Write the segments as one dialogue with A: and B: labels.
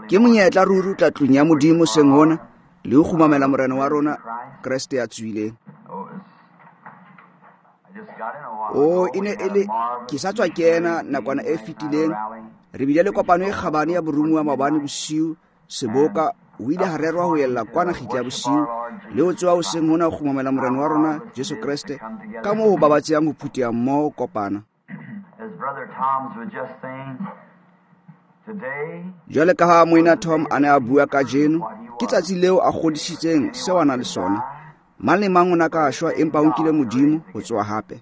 A: Ke monyetla ruri o tla tlung ya Modimo seng hona le ho kgumamela Morena wa rona Kreste ya tsohileng. O e ne e le ke sa tswa kena nakwana e fetileng, re bile le kopano e kgabane ya boromuwa maobane bosiu, seboka o ile ha rerwa ho ella kwana kgitla ya bosiu le ho tsoha hoseng hona ho kgumamela Morena wa rona Jesu Kreste, ka moo ho babatsehang ho phutheha mmoho kopana. Jwale ka ha Moena Tom a ne a bua kajeno, ke tsatsi leo a kgodisitseng seo a nang le sona. Mang le mang o na ka shwa, empa o nkile Modimo ho tsoha hape.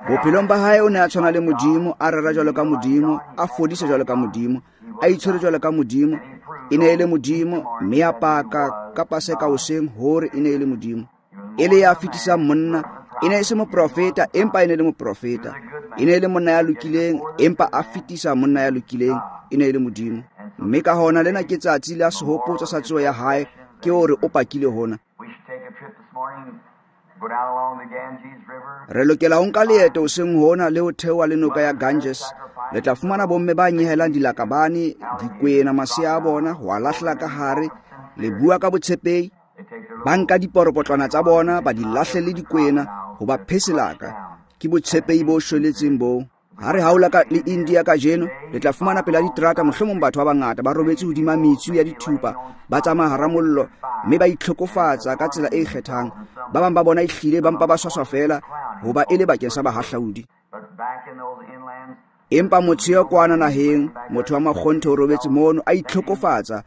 A: Bophelong ba hae o ne a tshwana le Modimo, a rera jwalo ka Modimo, a fodisa jwalo ka Modimo, a itshwere jwalo ka Modimo. E ne e le Modimo, mme a paka ka Paseka hoseng hore e ne e le Modimo. E le ya fetisang monna, e ne e se moprofeta, empa e ne e le moprofeta. E ne e le monna ya lokileng, empa a fetisa monna ya lokileng, e ne e le Modimo. Mme ka hona lena ke tsatsi la sehopotso sa tsoho ya hae, ke hore o pakile hona. Re lokela ho nka leeto hoseng hona le ho theoha le noka ya Ganges. Le tla fumana bomme ba nyehelang dilakabane, dikwena, masea a bona, ho a lahlela ka hare, le bua ka botshepehi. Ba nka diporopotlwana tsa bona, ba di lahle le dikwena, ho ba pheselaka. Ke botshepehi bo shweletseng boo. Ha re haola ka le India kajeno, le tla fumana pela diterata mohlomong batho ba bangata ba robetse hodima metsu ya dithupa, ba tsamaya hara mollo, mme ba itlhokofatsa ka tsela e ikgethang. Ba bang ba bona ehlile ba mpa ba swaswa feela, hoba e le bakeng sa bahahlaudi. Empa motho ya kwana naheng, motho wa makgonthe o robetse mono a itlhokofatsa,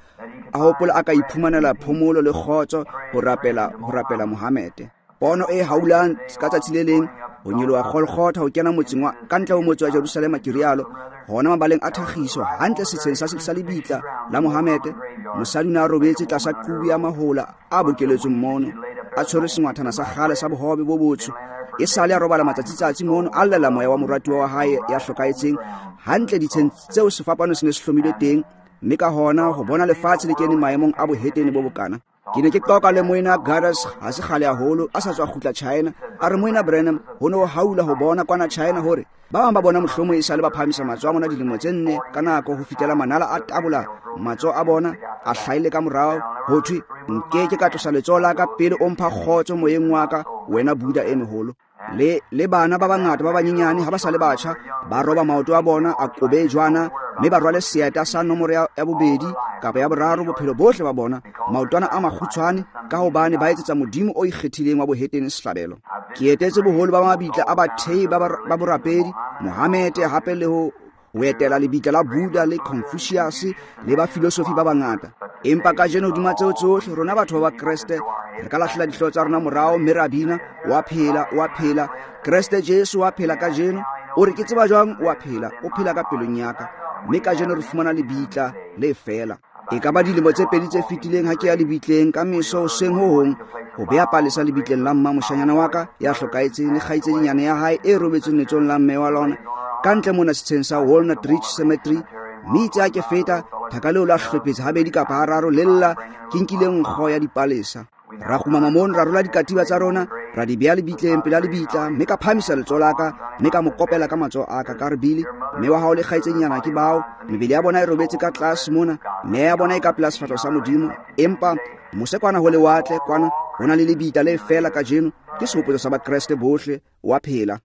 A: a hopola a ka iphumanela phomolo le kgotso ho rapela, ho rapela Mohamede. Pono e haulang ka tsatsi le leng, ho nyoloha Golgotha ho kena motseng wa ka ntle ho motse wa Jerusalema, ke rialo, hona mabaleng a thakgiso, hantle setsheng sa lebitla la Mohamede, mosadi o ne a robetse tlasa qubu ya mahola a bokeletsweng mono, a tshwere sengwathana sa kgale sa bohobe bo botsho. E sale a robala matsatsi-tsatsi mono, a llela moya wa moratuwa wa hae ya hlokahetseng, hantle ditsheng tseo sefapano se ne se hlomilwe teng, mme ka hona ho bona lefatshe le kene maemong a bohetene bo bokana. Ke ne ke qoqa le Moena Gaddis ha se kgale haholo, a sa tswa kgutla China. A re, Moena Branham, ho ne ho haula ho bona kwana China hore ba bang ba bona mohlomong e sale ba phahamisa matsoho a bona dilemo tse nne ka nako ho fihlela manala a tabola matsoho a bona, a hlaile ka morao, ho thwe, nke ke ka tlosa letsoho la ka pele o mpha kgotso moyeng wa ka, wena Buddha e moholo. Le bana ba bangata ba banyenyane ha ba sa le batjha, ba roba maoto a bona a kobe jwana, mme ba rwale seeta sa nomoro ya bobedi kapa ya boraro bophelo bohle ba bona, maotwana a makgutshwane, ka hobane ba etsetsa modimo o ikgethileng wa bohetene sehlabelo. Ke etetse boholo ba mabitla a bathei ba borapedi, Mohamede hape le ho etela lebitla la Buddha le Confucius le ba filosofi ba bangata. Empa kajeno hodima tseo tsohle, rona batho ba Kreste re ka lahlela dihlooho tsa rona morao mme ra bina, wa phela, wa phela, Kreste Jesu wa phela kajeno. O re ke tseba jwang wa phela? O phela ka pelong ya ka. Mme kajeno re fumana lebitla le fela. E ka ba dilemo tse pedi tse fetileng ha ke ya lebitleng ka meso hoseng ho hong ho bea palesa lebitleng la mma moshanyana wa ka ya hlokahetseng le kgaitsedinyana ya hae e robetseng letsong la mme wa lona ka ntle mona setsheng sa Walnut Ridge Cemetery. Mme itse ha ke feta, thaka leo la hlophetsa habedi kapa hararo le lla, ke nkile nkgo ya dipalesa. Ra kgumama mono, ra rola dikatiba tsa rona, ra di bea lebitleng pela lebitla, mme ka phahamisa letsoho la ka, mme ka mo kopela ka matsoho a ka, ka re, Billy, mme wa hao le kgaitsedinyana ke bao, mebele ya bona e robetse ka tlase mona, meya ya bona e ka pela sefahleho sa Modimo, empa mose kwana ho lewatle kwana ho na le lebitla le fela kajeno, ke sehopotso sa Bakreste bohle, wa phela.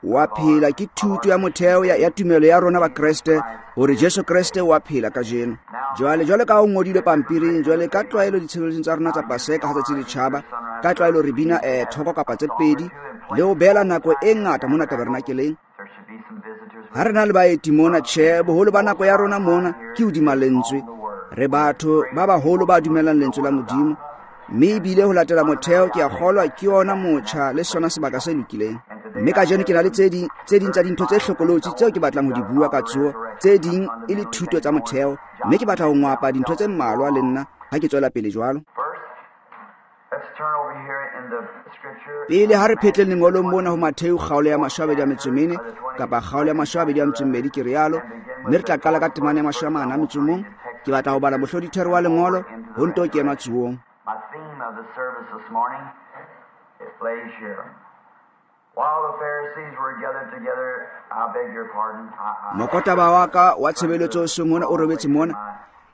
A: Wa phela ke thuto ya motheo ya tumelo ya rona Bakreste, hore Jesu Kreste wa phela kajeno. Jwale, jwale ka ho ngodilwe pampiring, jwale ka tlwaelo ditshebeletsong tsa rona tsa Paseka ha tsatsi le tjhaba, ka tlwaelo re bina thoko kapa tse pedi, le ho beela nako e ngata mona tabernakeleng. Ha re na le baeti mona, tjhe, boholo ba nako ya rona mona ke hodima lentswe. Re batho ba baholo ba dumelang lentswe la Modimo, mme ebile ho latela motheo ke a kgolwa ke yona motjha le sona sebaka se lokileng. Mme kajeno ke na le tse ding tsa dintho tse hlokolotsi tseo ke batlang ho di bua ka tsoho, tse ding e le thuto tsa motheo, mme ke batla ho ngwapa dintho tse mmalwa le nna ha ke tswela pele jwalo. Pele ha re phetleng lengolong mona ho Mattheu kgaolo ya 24 kapa kgaolo ya 22 ke rialo, mme re tla qala ka temana ya 41. Ke batla ho bala mohlodithero wa lengolo ho nto kenwa tsuong.
B: My theme of the service this morning, it lays here.
A: Mokotaba wa ka wa tshebeletso seng hona o robetse mona.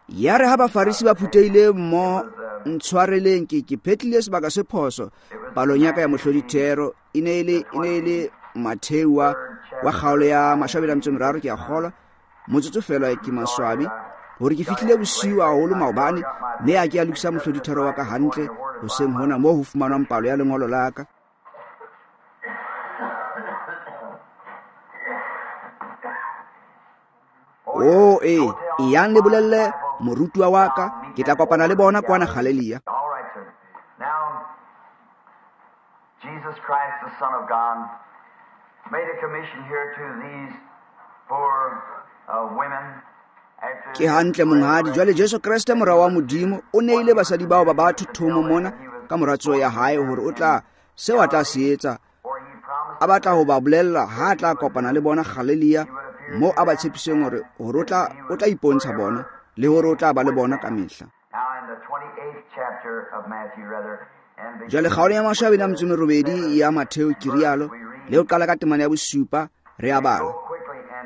A: Yare ha Bafarisi ba phuthehile mmoho, ntshwareleng ke phetlile sebaka se phoso palong ya ka ya mohlodithero. E ne e le Matheu wa kgaolo ya 23, ke a kgolwa. Motsotso fela ke maswabi hore ke fihlile bosiu haholo maobane, mme a ke a lokisa mohlodithero wa ka hantle hoseng hona moo ho fumanwang palo ya lengolo la ka. Oh, e yang le bolelle morutuwa wa ka, ke tla kopana le bona kwana Galilea.
B: Jesus Christ, the Son of God, made a commission here to these poor women.
A: Ke hantle monghadi. Jwale Jesu Kreste mora wa Modimo o neile basadi bao ba batho thomo mona ka mora tsoho ya hae hore o tla seo a tla se etsa. A batla ho ba bolella ha a tla kopana le bona Galilea, mo a ba tshepiseng hore o tla ipontsha bona le hore o tla ba le bona ka mehla. Jwale kgaolo ya 28 ya Matheu ke rialo, le ho qala ka temana ya 7 re a bala.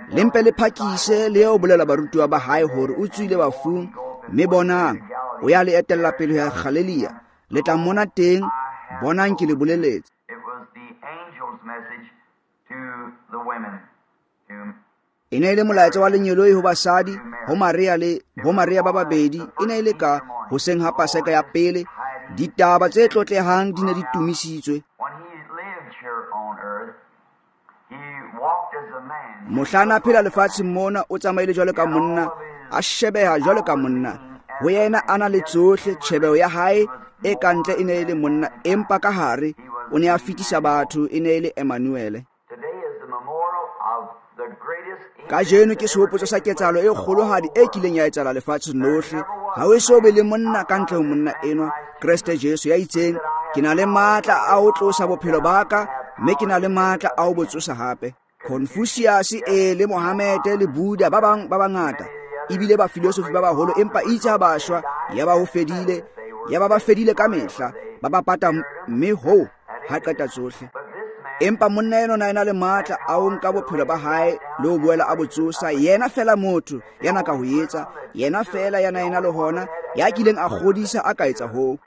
A: Le mpe le phakise le eo bolela barutuwa ba hae hore o tswile bafung, mme bonang o ya le etella pele ho ya Galilea, le tla mmona teng, bonang ke le boleletse. E ne e le molaetsa wa lengeloi ho basadi, ho Maria le bo Maria ba babedi. E ne e le ka hoseng ha Paseka ya pele. Ditaba tse tlotlehang di ne di tumisitswe. Mohla a phela lefatsheng mona, o tsamaile jwalo ka monna, a shebeha jwalo ka monna. Ho yena a na le tsohle, tjhebeho ya hae e kantle e ne e le monna, empa ka hare o ne a fetisa batho, e ne e le Emmanuele. Kajeno ke sehopotso sa ketsahalo e kgolohadi e kileng ya etsahala lefatsheng lohle. Ha ho eso be le monna ka ntle ho monna enwa, Kreste Jesu, ya itseng, ke na le matla a ho tlosa bophelo ba ka, mme ke na le matla a ho bo tsosa hape. Confucius e le Mohammed le Buddha ba bang ba bangata ebile ba filosofi ba baholo, empa itse ha ba shwa ya ba ho fedile, ya ba ba fedile ka mehla, ba ba pata, mme ho ha qeta tsohle. Empa monna eno na ena le matla a ho nka bophelo ba hae le ho boela a bo tsosa. Yena fela motho ya na ka ho etsa, yena fela ya na ena le hona, ya kileng a kgodisa a ka etsa hoo.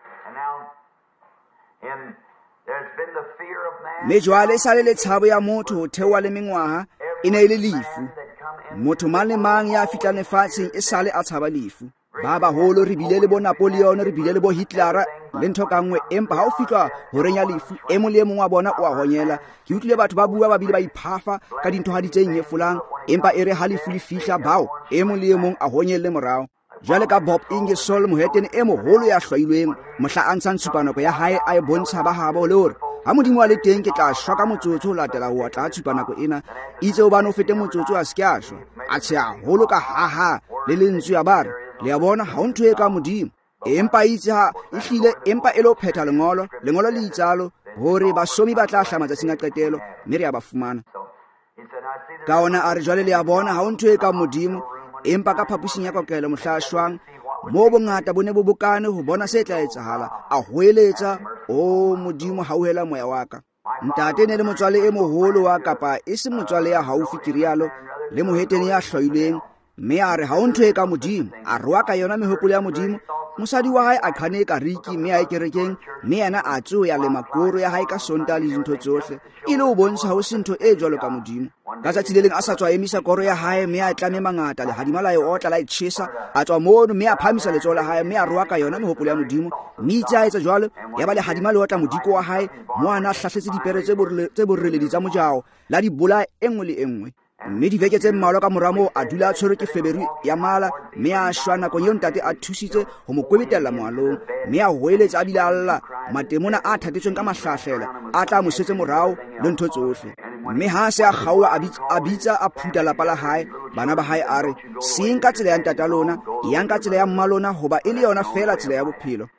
A: Mme jwale e sale le tshabo ya motho ho theoha le mengwaha, e ne e le lefu. Motho mang le mang ya fihlang lefatsheng e sale a tshaba lefu. Ba baholo re bile le bo Napoleon, re bile le bo Hitler le ntho ka nngwe, empa ha o fihlwa horeng ya lefu, e mong le e mong wa bona o a honyela. Ke utlwile batho ba bua ba bile ba iphafa ka dintho ha di tse nyefolang, empa e re ha lefu le fihla, bao e mong le e mong a honyelle morao. Jwale ka Bob Ingersoll, mohetene e moholo ya hlwailweng, mohla a ntshang tshupanako ya hae a e bontsha ba habo le hore ha Modimo a le teng ke tla shwa ka motsotso ho latela ho otla tshupanako ena. Itse hobane o fete motsotso a se ke a shwa, a tsheha haholo ka haha le lentswe ya ba re, le a bona, ha ho ntho e ka Modimo. Empa itse ha e hlile, empa e le ho phetha lengolo, lengolo le itsalo hore basomi ba tla hlaha matsatsing a qetelo, mme re a ba fumana. Ka ona a re, jwale le a bona, ha ho ntho e ka Modimo. Empa ka phaposing ya kokelo mohla a shwang, moo bongata bo ne bo bokane ho bona se tla etsahala, a hoeletsa, o Modimo, hauhela moya wa ka. Ntate ne le motswale e moholo wa kapa e se motswale ya haufi, ke rialo, le mohetene ya hlwailweng, mme a re ha ho ntho e ka Modimo. A roa ka yona mehopolo ya Modimo. Mosadi wa hae a qhane ka riki, mme a ye kerekeng, mme yena a tsoha ya lema koro ya hae ka Sontaha le dintho tsohle, e le ho bontsha ho se ntho e jwalo ka Modimo. Ka tsatsi le leng a sa tswa emisa koro ya hae, mme a tlame mangata, lehadima la e otla la e tjhesa. A tswa mono, mme a phahamisa letsoho la hae, mme a roa ka yona mehopolo ya Modimo. Mme itse a etsa jwalo, ya ba lehadima le otla modiko wa hae, mo a na hlahletse dipere tse boreledi tsa mojao, la di bolaya e nngwe le e nngwe. Mme diveke tse mmalwa ka mora moo a dula a tshwerwe ke feberu ya mala, mme a shwa nakong eo ntate a thusitse ho mo kwebetella moalong, mme a hoeletsa a bile a lla, matemona a thatetsweng ka mahlahlela a tla mo setse morao le ntho tsohle. Mme ha se a kgaoha, a bitsa a phutha lapa la hae, bana ba hae, a re, seng ka tsela ya ntata lona, yang ka tsela ya mma lona, hoba e le yona fela tsela ya bophelo.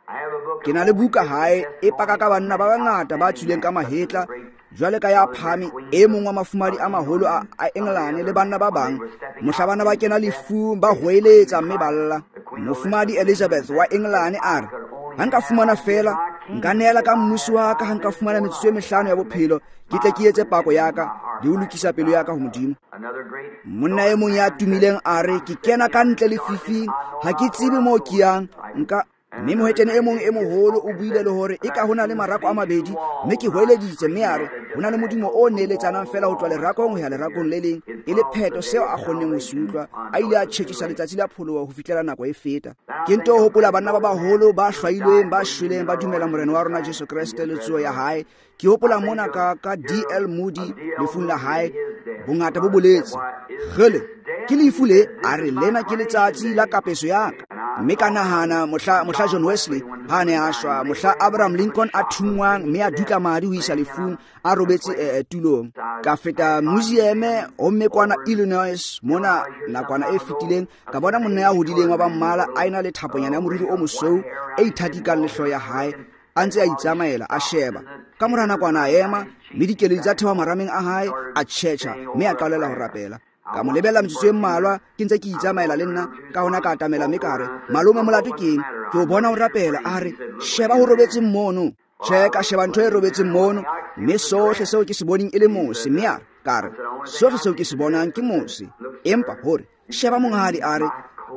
A: Ke na le buka hae e paka ka banna ba bangata ba tswileng ka mahetla, jwale ka ya phame e mong wa mafumadi a maholo a Engelane le banna ba bang, mohla bana ba kena lefung ba hoeletsa mme ba lla. Mofumadi Elizabeth wa Engelane a re, ha nka fumana fela Nka neela ka mmusi wa ka ha nka fumana metsotso e mehlano ya bophelo, ke tle ke etse pako ya ka le ho lokisa pelo ya ka ho Modimo. Monna e mong ya tumileng a re, ke kena ka ntle lefifing, ha ke tsebe moo ke yang, nka. Mme mohetene e mong e moholo o buile le hore e ka ho na le marako a mabedi, mme ke hweleditse, mme a re ho na le modumo o neeletsanang fela ho tloha lerakong ho ya lerakong le leng, e le pheto seo a kgonneng ho se utlwa. A ile a tjhetjhisa letsatsi la pholoho ho fihlela nako e feta. Ke nto hopola banna ba baholo ba hlwailweng, ba shweleng, ba dumela Morena wa rona Jesu Kreste le tsoho ya hae. Ke hopola mona ka D.L. Moody lefung la hae, bongata bo boletse, kgele, ke lefu le, a re lena ke letsatsi la kapeso ya ka. Mme ka nahana mohla John Wesley ha ne a shwa, mohla Abraham Lincoln a thunngwang mme a dutla madi ho isa lefung, a robetse tulong. Ka feta museum homme kwana Illinois mona nakwana e fetileng, ka bona monna ya hodileng wa ba mmala a ena le thaponyana ya moriri o mosweu e ithatikang le hlooho ya hae, a ntse a itsamaela a sheba. Ka mora nakwana a ema, mme dikeledi tsa theoha marameng a hae, a tjhetjha mme a qalela ho rapela. Ka mo lebella metsotso e mmalwa ke ntse ke itsamaela le nna, ka hona ka atamela mme ka re, malome molato ke eng? Ke o bona o rapela. A re, sheba ho robetseng mono. Tjhe, ka sheba ntho e robetseng mono, mme sohle seo ke se boneng e le mose. Mme a re, ka re, sohle seo ke se bonang ke mose. Empa hore, sheba monghadi, a re,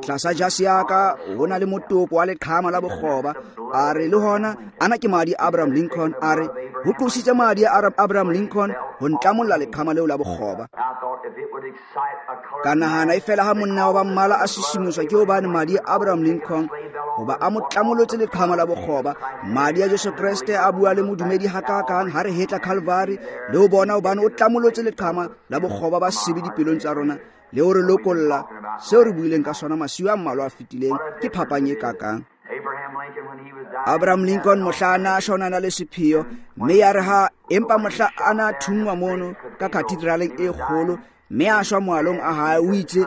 A: tlasa jase ya ka ho na le motopo wa leqhama la bokgoba. A re, le hona ana ke madi a Abraham Lincoln. A re, ho tlositse madi a Abraham Lincoln ho ntlamolla leqhama leo la bokgoba. Ka nahana e fela ha monna wa ba mmala a sisimuswa ke hobane madi a Abraham Lincoln hoba a mo tlamolotse leqhama la bokgoba, madi a Jesu Kreste a bua le modumedi hakakang ha re hetla Calvary le ho bona hobane o tlamolotse leqhama la bokgoba ba sebe dipelong tsa rona le ho re lokolla. Seo re buileng ka sona masiu a mmalwa a fetileng ke phapang e kakang. Abraham Lincoln mohla a na shwa o na le sepheo, mme ya re ha empa mohla a na thunngwa mono ka cathedraleng e kgolo mme a shwa moalong a hae, o itse,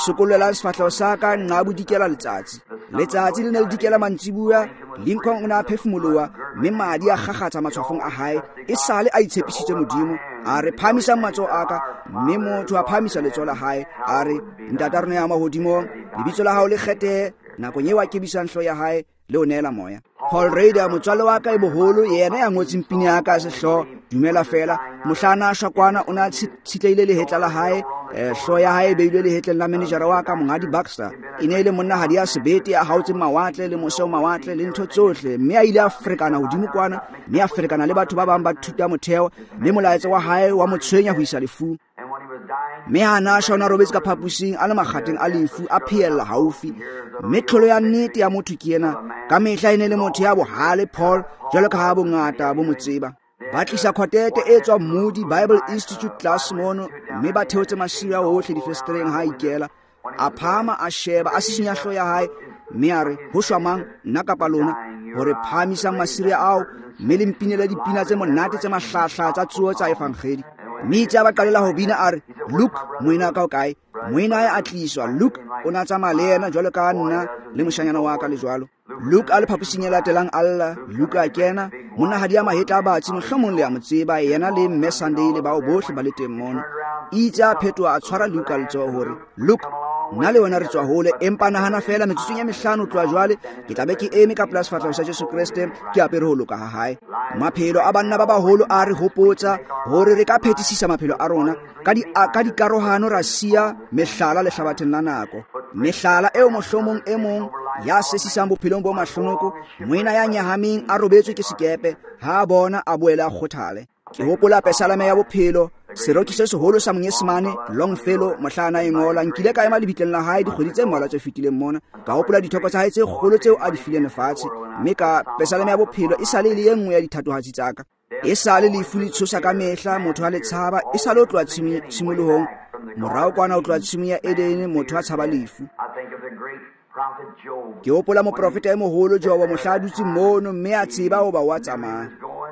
A: sokollelang sefahleho sa ka nqa bodikela letsatsi. Letsatsi le ne le dikela mantsibuya, Lincoln o ne a phefumoloha mme madi a kgakgatsa matshwafong a hae. E sale a itshepisitse Modimo. A re, phahamisang matsoho a ka, mme motho a phahamisa letsoho la hae. A re, Ntata rona ya mahodimong, lebitso la hao le kgethehe. Nakong eo a kebisang hlooho ya hae le ho neela moya. Paul Rader, motswalle wa ka e boholo, yena ya ngotseng pina ya ka sehlooho Dumela Fela, mohla a na shwa kwana o ne a tshitlehile lehetla la hae, hlooho ya hae e beilwe lehetleng la manejara wa ka, Monghadi Baxter. E ne e le monnahadi ya sebete, a haotseng mawatle le mose o mawatle le ntho tsohle, mme a ile a ferekana hodimo kwana, mme a ferekana le batho ba bang ba thuta motheo, mme molaetsa wa hae wa mo tshwenya ho isa lefung. Mme ha na shwa o na robetse ka phaposing a le makgateng a lefu, a phehella haufi. Mme tlholo ya nnete ya motho ke ena. Ka mehla e ne le motho ya bohale, Paul, jwalo ka ha bongata bo mo tseba. Ba tlisa quartet e tswang Moody Bible Institute class mono, mme ba theotse masiu a ohle difesetereng ha a ikela. A phahama, a sheba, a sisinya hlooho ya hae, mme a re, ho shwa mang, nna kapa lona, hore phahamisang masire ao, mme le mpinele dipina tse monate tse mahlahla tsa tsoho tsa evangedi. Mme itse a ba qalela ho bina, a re, Luke, moena wa ka o kae? Moena hae a tliswa. Luke o ne a tsamaya le yena jwalo ka nna le moshanyana wa ka le jwalo. Luke a le phaposing e latelang a lla. Luke a kena, monnahadi ya mahetla a batsi, mohlomong le a mo tseba, yena le mme Sunday le bao bohle ba le teng mono. Itse a phetoha, a tshwara Luke a letsoho hore, Luke, nna le wena re tswa hole, empa nahana fela metsotsong ya mehlano tloha jwale ke tla be ke eme ka pela sefahleho sa Jesu Kreste, ke apere ho loka ha hae. Maphelo a banna ba baholo a re hopotsa hore re ka phethisisa maphelo a rona ka dikarohano, ra siya mehlala lehlabatheng la nako. Mehlala eo mohlomong e mong ya sesisang bophelong bo mahlonoko, moena ya nyahameng a robetswe ke sekepe, ha a bona a boele a kgothale. Ke hopola pesalame ya bophelo, seroki se seholo sa Monyesemane Longfellow, mohla a na e ngola. Nkile ka ema lebitleng la hae dikgwedi tse mmalwa tse fetileng mona, ka hopola dithoko tsa hae tse kgolo tseo a di fileng lefatshe, mme ka pesalame ya bophelo e sale e le e nngwe ya dithatohatsi tsa ka. E sale lefu le tshosa ka mehla, motho a le tshaba, e sale o tloha tshimolohong, morao kwana o tloha tshimong ya Edene, motho a tshaba lefu. Ke hopola moprofeta e moholo Jobo, mohla a dutse mono mme a tseba hoba wa tsamaya.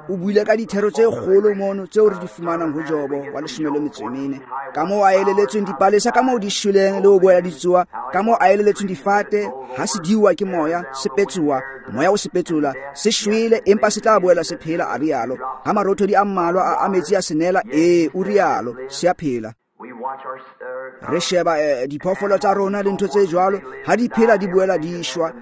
A: O buile ka dithero tse kgolo mono tseo re di fumanang ho Jobo wa 14. Ka moo a eleletsweng dipalesa, ka moo di shweleng le ho boela di tsoha, ka moo a eleletsweng difate ha se diuwa ke moya, se petsoha, moya o se petsola, se shwele empa se tla boela se phela, a rialo. Ha marothodi a mmalwa a metsi a se nela, ee, o rialo, se a phela. Re sheba diphoofolo tsa rona le ntho tse jwalo, ha di phela di boela di shwa.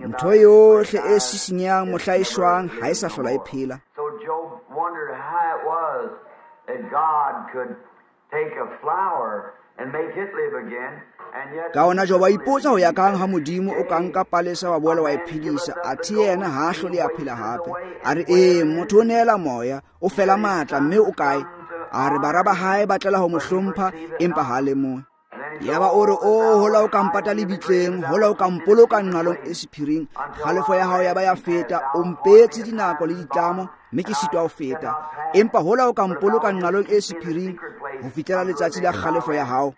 A: Ntho yohle e sisinyang mohla e shwang ha e sa hlola e phela.
B: So Job wondered how it was that God could take a flower and make it live again.
A: Ka ona Job a ipotsa ho ya kang ha Modimo o ka nka palesa wa boela wa e phedisa, athe yena ha a hlole a phela hape. A re ee, motho o neela moya, o fela matla, mme o kae? A re bara ba hae ba tlela ho mo hlompha, empa ha a lemohe. Yaba o re, o hola o ka mpata lebitleng, hola o ka mpoloka nqalong e sephiring, kgalefo ya hao ya ba ya feta, o mpeetse dinako le ditlamo, mme ke sitwa ho feta. Empa hola o ka mpoloka nqalong e sephiring ho fihlela letsatsi la kgalefo ya hao.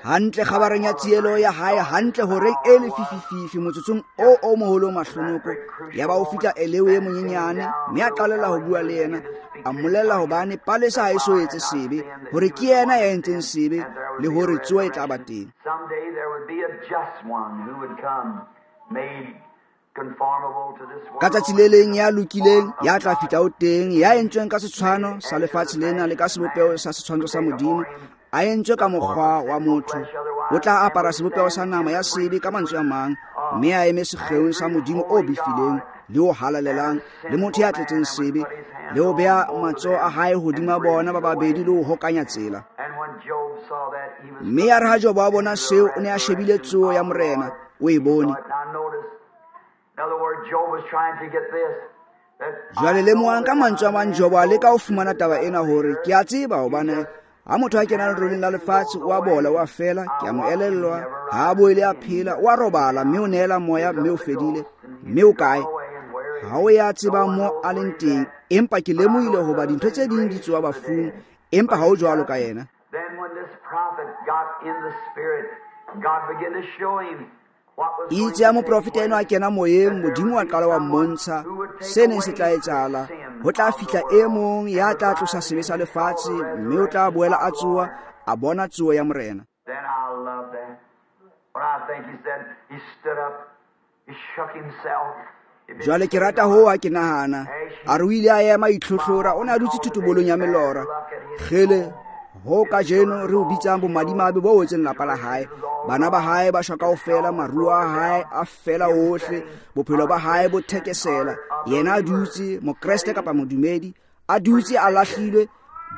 A: Hantle kgabareng ya tsielo ya hae, hantle horeng e lefifififi motsotsong o o moholo mahlonoko, yaba o fihla Eleo e monyenyane, mme a qalella ho bua le yena, a mmolella hobane palesa ha e so etse sebe, hore ke yena ya entseng sebe, le hore tsoho e tla ba teng. Ka tsatsi le leng ya lokileng ya tla fihla o teng, ya entsweng ka setshwano sa lefatshe lena le ka sebopeho sa setshwantsho sa Modimo, a entswe ka mokgwa wa motho, o tla apara sebopeho sa nama ya sebe ka mantswe a mang, mme a eme sekgeong sa Modimo o befileng le o halalelang, le motho ya tletseng sebe, le ho beha matsoho a hae hodima bona ba babedi le ho hokanya tsela. Mme ya re ha Jobo a bona seo, o ne a shebile tsoho ya Morena, o e bone. Jwale lemohang ka mantswe a mang, Jobo a leka ho fumana taba ena hore ke a tseba hobane ha motho a kena leroleng la lefatshe o a bola, o a fela, ke a mo elellwa, ha a boele a phela, o a robala, mme o neela moya, mme o fedile, mme o kae? Ha o ya tseba mo a leng teng, empa ke lemohile hoba dintho tse ding di tsoha bafung, empa ha o jwalo ka yena. Itse ya moprofeta eno a kena moyeng, Modimo wa qala wa mmontsha se neng se tla etsahala. Ho tla fihla e mong ya tla tlosa sebe sa lefatshe, mme o tla boela a tsoha, a bona tsoho ya Morena. Jwale ke rata ho ha ke nahana, a re o ile a ema itlhohlora, o ne a dutse thotobolong ya melora. Kgele, ho kajeno re o bitsang bomadimabe bo wetseng lapa la hae. Bana ba hae ba shwa kaofela, maruo a hae a fela ohle, bophelo ba hae bo thekesela. Yena a dutse, mokreste kapa modumedi, a dutse a lahlilwe,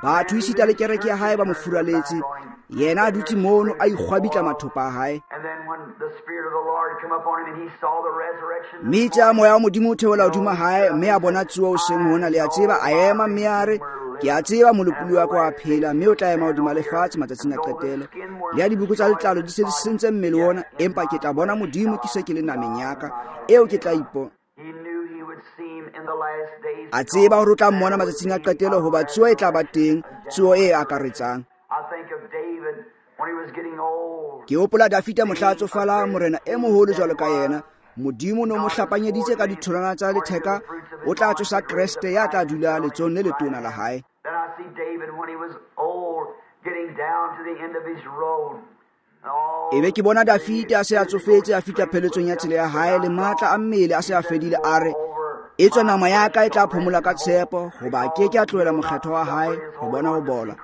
A: batho esita le kereke ya hae ba mo furaletse. Yena a dutse mono a ikgwabitla mathopa a hae. Mme itse a moya wa Modimo o theola hodima hae, mme a bona tsoho hoseng hona, le a tseba, a ema mme a re, ke a tseba molopolli wa ka wa phela, mme o tla ema hodima lefatshe matsatsing a qetelo. Le ya diboko tsa letlalo di se di sentse mmele ona, empa ke tla bona Modimo ke se ke le nameng ya ka, eo ke tla ipona. A tseba hore o tla mmona matsatsing a qetelo, hoba tsoho e tla ba teng, tsoho e akaretsang. Ke hopola Dafita mohla a tsofala, morena e moholo jwalo ka yena. Modimo no mo hlapanyeditse ka ditholwana tsa letheka, o tla tsosa Kreste ya tla dula letsohong le letona la hae. Ebe ke bona Dafita a se a tsofetse, a fihla pheletsong ya tsela ya hae, le matla a mmele a se a fedile, a re, etswe nama ya ka e tla phomola ka tshepo, hoba ke ke a tlohela mokgetho wa hae ho bona ho bola,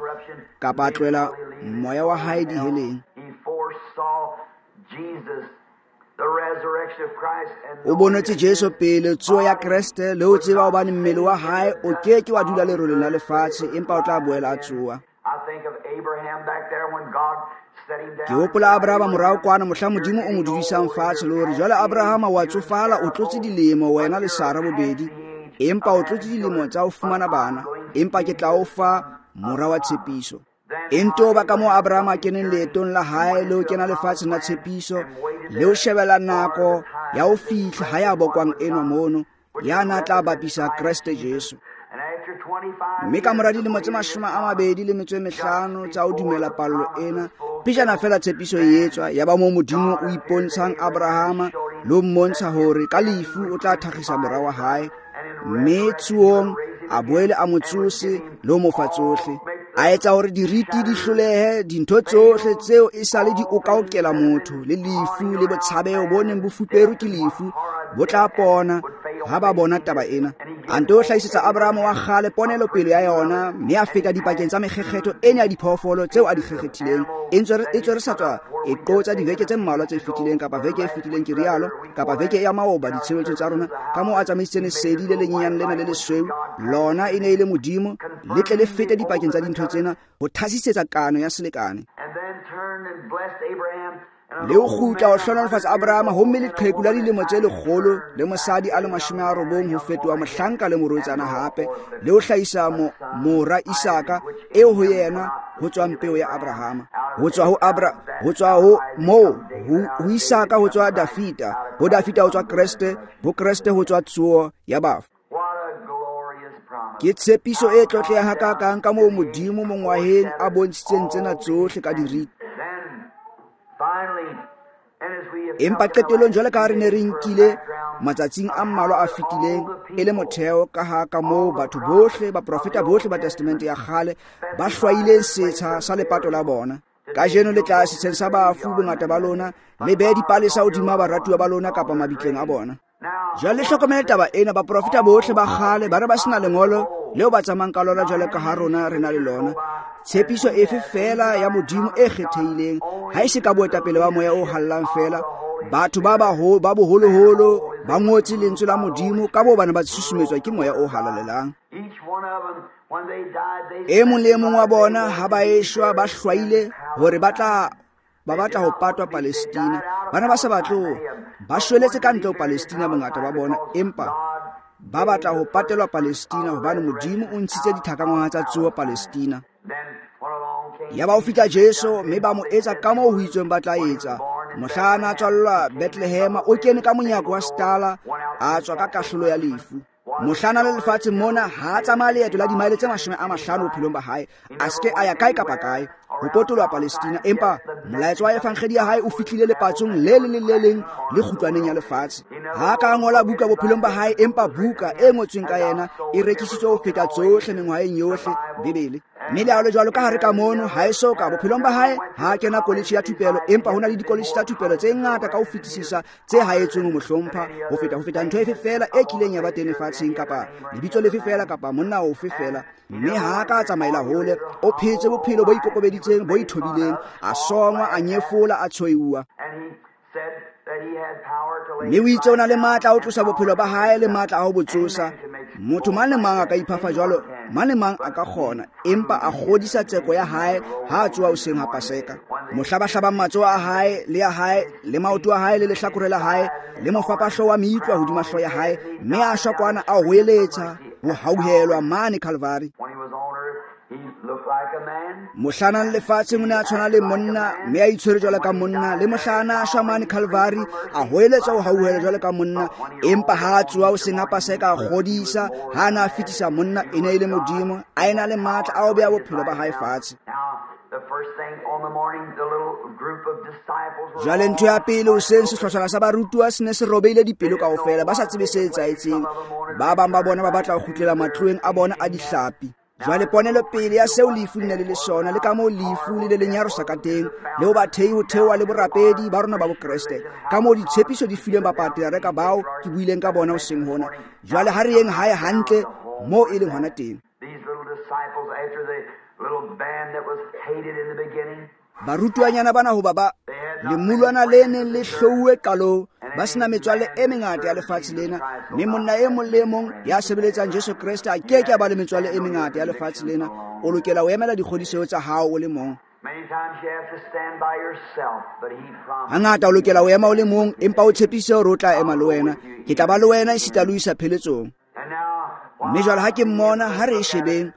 A: kapa a tlohela moya wa hae diheleng. O bonetse Jesu pele tsoho ya Kreste, le ho tseba hobane mmele wa hae o ke ke wa dula leroleng la lefatshe, empa o tla boela a tsoha. Ke hopola Abrahama morao kwana mohla Modimo o mo dudisang fatshe, le hore jwale Abrahama wa tsofala, o tlotse dilemo, wena le Sara bobedi, empa o tlotse dilemo tsa ho fumana bana, empa ke tla o fa mora wa tshepiso. Ento ba ka moo Abrahama a keneng leetong la hae le ho kena lefatsheng la tshepiso, le ho shebela nako ya ho fihla ha ya bokwang enwa mono, ya na tla bapisa Kreste Jesu. Mme ka mora dilemo tse 25 tsa ho dumela pallo ena, pejana fela tshepiso e etswa, ya ba moo Modimo o ipontshang Abrahama le ho mmontsha hore ka lefu o tla thakgisa mora wa hae, mme tsohong a boele a mo tsose le ho mo fa tsohle. A etsa hore diriti di hlolehe, dintho tsohle tseo e sale di okaokela motho, le lefu le botshabeho bo neng bo fuperwe ke lefu bo tla pona ha ba bona taba ena. A nto hlahisetsa Abrahama wa kgale ponelopele ya yona, mme a feta dipakeng tsa mekgekgetho ena ya diphoofolo tseo a di kgekgethileng. E ntse re sa tswa e qotsa diveke tse mmalwa tse fetileng, kapa veke e fetileng ke rialo, kapa veke ya maoba ditshebeletsong tsa rona, ka moo a tsamaisitseng lesedi le lenyenyane lena le lesweu, lona e ne e le Modimo, le tle le fete dipakeng tsa dintho tsena ho thasisetsa kano ya selekane. Le ho kgutla ho hlohonolofatsa Abrahama, homme leqheku la dilemo tse lekgolo le mosadi a le 90 ho fetoha mohlanka le morwetsana hape, le ho hlahisa mora Isaka eo ho yena ho tswang peo ya Abrahama. Ho tswa ho ho tswa ho moo ho Isaka ho tswa Dafita, ho Dafita ho tswa Kreste, ho Kreste ho tswa tsoho ya bafu. Ke tshepiso e tlotlehang hakakang ka moo Modimo mongwaheng a bontshitseng tsena tsohle ka diriti. Empa qetellong jwale ka ha re ne re nkile matsatsing a mmalwa a fetileng e le motheo ka ha ka moo batho bohle, baprofeta bohle ba Testamente ya kgale ba hlwaileng setsha sa lepato la bona. Kajeno le tla setsheng sa bafu bongata ba lona, le behe dipalesa hodima baratuwa ba lona kapa mabitleng a bona. Jwale le hlokomele taba ena, baprofeta bohle ba kgale ba re ba sena lengolo leo ba tsamayang ka lona jwale ka ha rona re na le lona. Tshepiso efe fela ya Modimo e kgethehileng, ha e se ka boetapele ba moya o hallang fela. Batho ba boholoholo ba ngotse lentswe la Modimo ka moo bana ba susumetswa ke moya o halalelang. E mong le e mong wa bona ha ba eshwa ba hlwaile hore ba batla ho patwa Palestina. Bana ba sa batle, ba shweletse ka ntle ho Palestina bongata ba bona, empa ba batla ho patelwa Palestina hobane Modimo o ntshitse dithakangwaha tsa tsoho Palestina. Yaba ho fihla Jesu, mme ba mo etsa ka moo ho itsweng ba tla etsa. Mohla a na tswallwa Bethlehema, o kene ka monyako wa setala, a tswa ka kahlolo ya lefu. Mohla na le lefatshe mona, ha a tsamaya leeto la dimaele tse 50 bophelong ba hae, a se ke a ya kae kapa kae ho potoloha Palestina, empa molaetsa wa evangelii ya hae o fihlile lepatsong le leng le le leng le kgutlwaneng ya lefatshe. Ha ka ngola buka bophelong ba hae, empa buka e ngotsweng ka yena e rekisitswe ho feta tsohle mengwaheng yohle, Bibele. Mme le ha le jwalo ka hare ka mono, ha e so ka bophelong ba hae ha kena college ya thupelo, empa ho na le di-college tsa thupelo tse ngata ka ho fetisisa tse haetsweng ho mo hlompha ho feta ntho efe fela e kileng ya ba teng lefatsheng, kapa lebitso lefe fela, kapa monna ofe fela. Mme ha ka tsamaela hole, o phetse bophelo bo ikokobeditseng, bo ithobileng, a songwa, a nyefola, a tshoiwa. Mme o itse o na le matla a ho tlosa bophelo ba hae le matla a ho bo tsosa. Motho mang le mang a ka iphafa jwalo, mang le mang a ka kgona, empa a kgodisa tseko ya hae ha a tsoha hoseng ha Paseka. Mohla ba hlabang matsoho a hae le ya hae le maoto a hae le lehlakore la hae le mofapahlo wa meutlwa hodima hlooho ya hae, mme a shwa kwana a hoeletsa ho hauhelwa mane Calvary. Mohla na lefatsheng o ne a tshwana le monna, mme a itshwere jwalo ka monna, le mohla na a shwa mane Calvary a hoeletsa ho hauhelwa jwalo ka monna, empa ha a tsoha hoseng ha Paseka a kgodisa, ha a na a fetisa monna, e ne e le Modimo, a ena le matla a ho beha bophelo ba hae fatshe. Jwale ntho ya pele hoseng, sehlotshwana sa barutuwa se ne se robehile dipelo kaofela, ba sa tsebe se etsahetseng. Ba bang ba bona ba batla ho kgutlela matloeng a bona a dihlapi. Jwale ponelopele ya seo lefu le ne le le sona, le ka moo lefu le le lenyarosa ka teng, le ho bathei ho theoha le borapedi ba rona ba Bokreste, ka moo ditshepiso di filweng bapatriareka bao ke buileng ka bona hoseng hona. Jwale ha re yeng hae hantle moo e leng hona teng. Barutuanyana bana hoba ba lemulwana le neng le hlouwe qalong, ba sena metswalle e mengata ya lefatshe lena, mme monna e mong le e mong ya sebeletsang Jesu Kreste a ke ke a ba le metswalle e mengata ya lefatshe lena. O lokela ho emela dikgodiseho tsa hao o le mong. Hangata o lokela ho ema o le mong, empa o tshepise hore o tla ema le wena. Ke tla ba le wena esita le ho isa pheletsong. Mme jwale ha ke mmona, ha re e shebeng,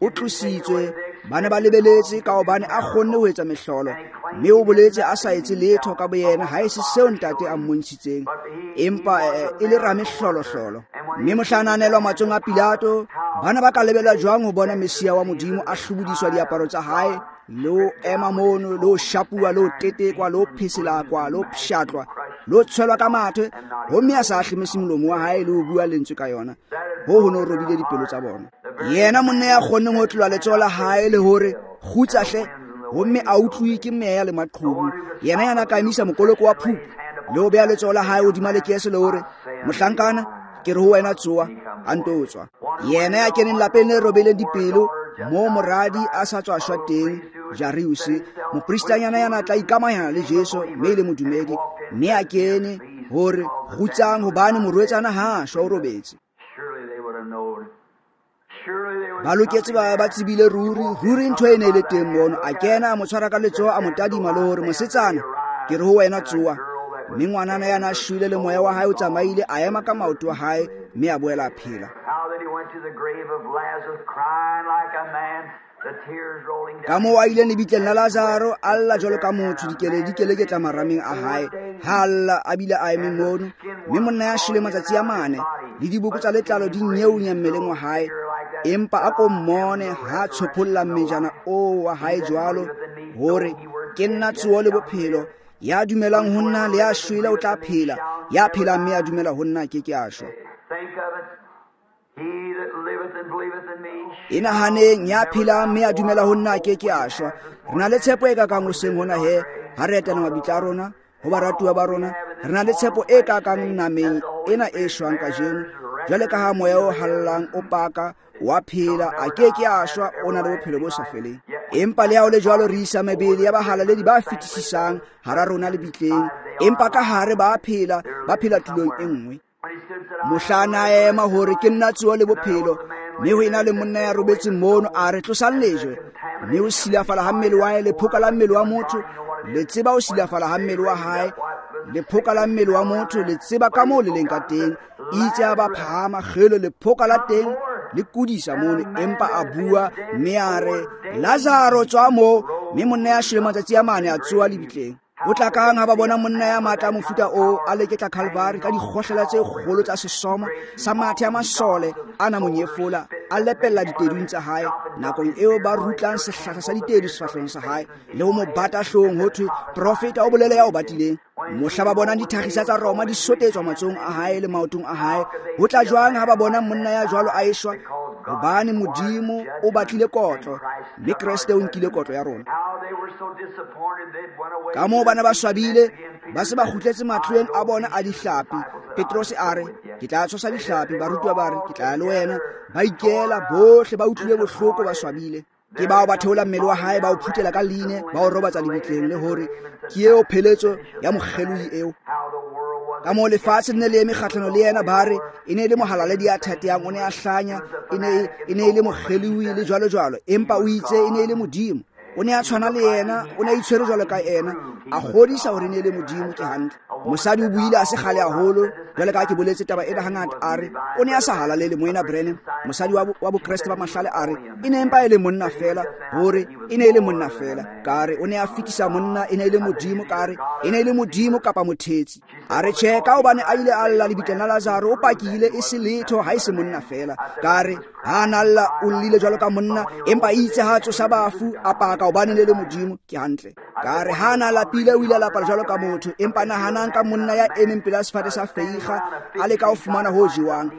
A: o tlositswe, ba ne ba lebeletse ka hobane a kgonne ho etsa mehlolo, mme o boletse a sa etse letho ka boyena ha e se seo ntate a mmontshitseng, empa e le ramehlolohlolo. Mme mohla a nanelwa matsohong a Pilato, bana ba ka lebelwa jwang ho bona Messia wa Modimo a hlobodiswa diaparo tsa hae, le ho ema mono, le ho shapuwa, le ho tetekwa, le ho pheselakwa, le ho pshatlwa, le ho tshwelwa ka mathe, homme a sa ahlemese molomo wa hae le ho bua lentswe ka yona. Ho no robile dipelo tsa bona. Yena monna ya kgonneng ho tlola letsoho la hae le hore kgutsa hle, homme a utlwi ke meya le maqhubu. Yena ya na ka emisa mokoloko wa phupu le ho beha letsoho la hae hodima lekese le hore, mohlankana, ke re ho wena tsoha, a nto tswa. Yena ya keneng lapeng le robeleng dipelo, moo moradi a sa tswa shwa teng, Jairus, mopristanyana ya na tla ikamahanya le Jesu mme e le modumedi, mme a kene hore kgutsang hobane morwetsana ha shwa o robetse. Ba loketse ba tsebile ruri, ruri ntho e ne e le teng mono. A kena a mo tshwara ka letsoho, a mo tadima le hore mosetsana, ke re ho wena tsoha. Mme ngwanana ya na shwele le moya wa hae o tsamaile, a ema ka maoto a hae mme a boela a phela. Ka moo a ileng lebitleng la Lazaro, a lla jwalo ka motho, dikeledi keleketla marameng a hae. Ha a lla a bile a eme mono, mme monna ya shwele matsatsi a mane, le diboko tsa letlalo di nyeunya mmeleng wa hae. Empa a ko mmone ha tshopholla mmejana oo wa hae jwalo, hore ke nna tsoho le bophelo, ya dumelang ho nna le ya shwele o tla phela, ya phelang mme a dumela ho nna ke ke a shwa. E nahaneng, ya phelang mme a dumela ho nna ke ke a shwa. Re na le tshepo e kakang hoseng hona he, ha re etela mabitla a rona, ho baratuwa ba rona, re na le tshepo e kakang nameng ena e shwang kajeno. Jwale ka ha moya o hallang o paka, wa phela, a ke ke a shwa, o na le bophelo bo sa feleng. Empa le ha o le jwalo, re isa mebele ya bahalaledi ba fetisisang hara rona lebitleng, empa ka hare ba phela, ba phela tulong e nngwe. Mohla a ema hore ke nna tsoho le bophelo, mme ho ena le monna ya robetseng mono, a re tlosang lejwe. Mme o silafala ha mmele wa hae, lephoka la mmele wa motho, le tseba o silafala ha mmele wa hae, lephoka la mmele wa motho, le tseba ka moo le leng ka teng. Itse a ba phahama, kgelo lephoka la teng le kudisa mono, empa a bua mme a re, Lazaro tswa moo. Mme monna ya shwele matsatsi a mane a tsoha lebitleng. Ho tla kang ha ba bona monna ya matla a mofuta oo a leketla Calvary ka dikgohlela tse kgolo tsa sesomo sa mathe a masole a na monyefola, a lepella ditedung tsa hae, nakong eo ba rutlang sehlahla sa ditedu sefahlehong sa hae le ho mo bata hloohong, ho thwe profeta o bolele ya o batileng. Mohla ba bonang dithakgisa tsa Roma di sotetswa matsohong a hae le maotong a hae, ho tla jwang ha ba bona monna ya jwalo a eshwa? Hobane Modimo o batlile kotlo, mme Kreste o nkile kotlo ya rona. Ka moo bana ba swabile, ba se ba kgutletse matlweng a bona a dihlapi. Petrose a re, ke tla tshosa dihlapi. Barutiwa ba re, ke tla ya le wena. Ba ikela bohle, ba utlwile bohloko, ba swabile. Ke bao ba theola mmele wa hae, ba o phutela ka line, ba o robatsa lebitleng, le hore ke eo pheletso ya mokgelohi eo. Ka moo lefatshe le ne le eme kgahlano le yena, ba re e ne e le mohalaledi ya thatehang, o ne a hlanya, e ne e le mokgelohi le jwalo jwalo, empa o itse e ne e le Modimo. O ne a tshwana le yena, o ne a itshwere jwalo ka yena, a kgodisa hore e ne e le Modimo. Ke hantle. Mosadi o buile a se kgale haholo, jwale ka ha ke boletse taba ena hangata, a re o ne a sa halalele moena Branham, mosadi wa Bokreste ba mahlale, a re e ne empa e le monna fela, hore e ne e le monna fela. Ka re o ne a fetisa monna, e ne e le Modimo. Ka re e ne e le Modimo kapa mothetsi. A re tjhe, ka hobane a ile a lla lebitleng la Lazaro, o pakile e se letho ha e se monna fela. Ka re ha na lla, o llile jwalo ka monna, empa itse ha tsosa bafu, a paka hobane le le Modimo. Ke hantle. Ka re ha na lapile, o ile a lapa jwalo ka motho, empa nahanang ka monna ya emeng pela sefate sa feiga, a leka ho fumana ho jewang.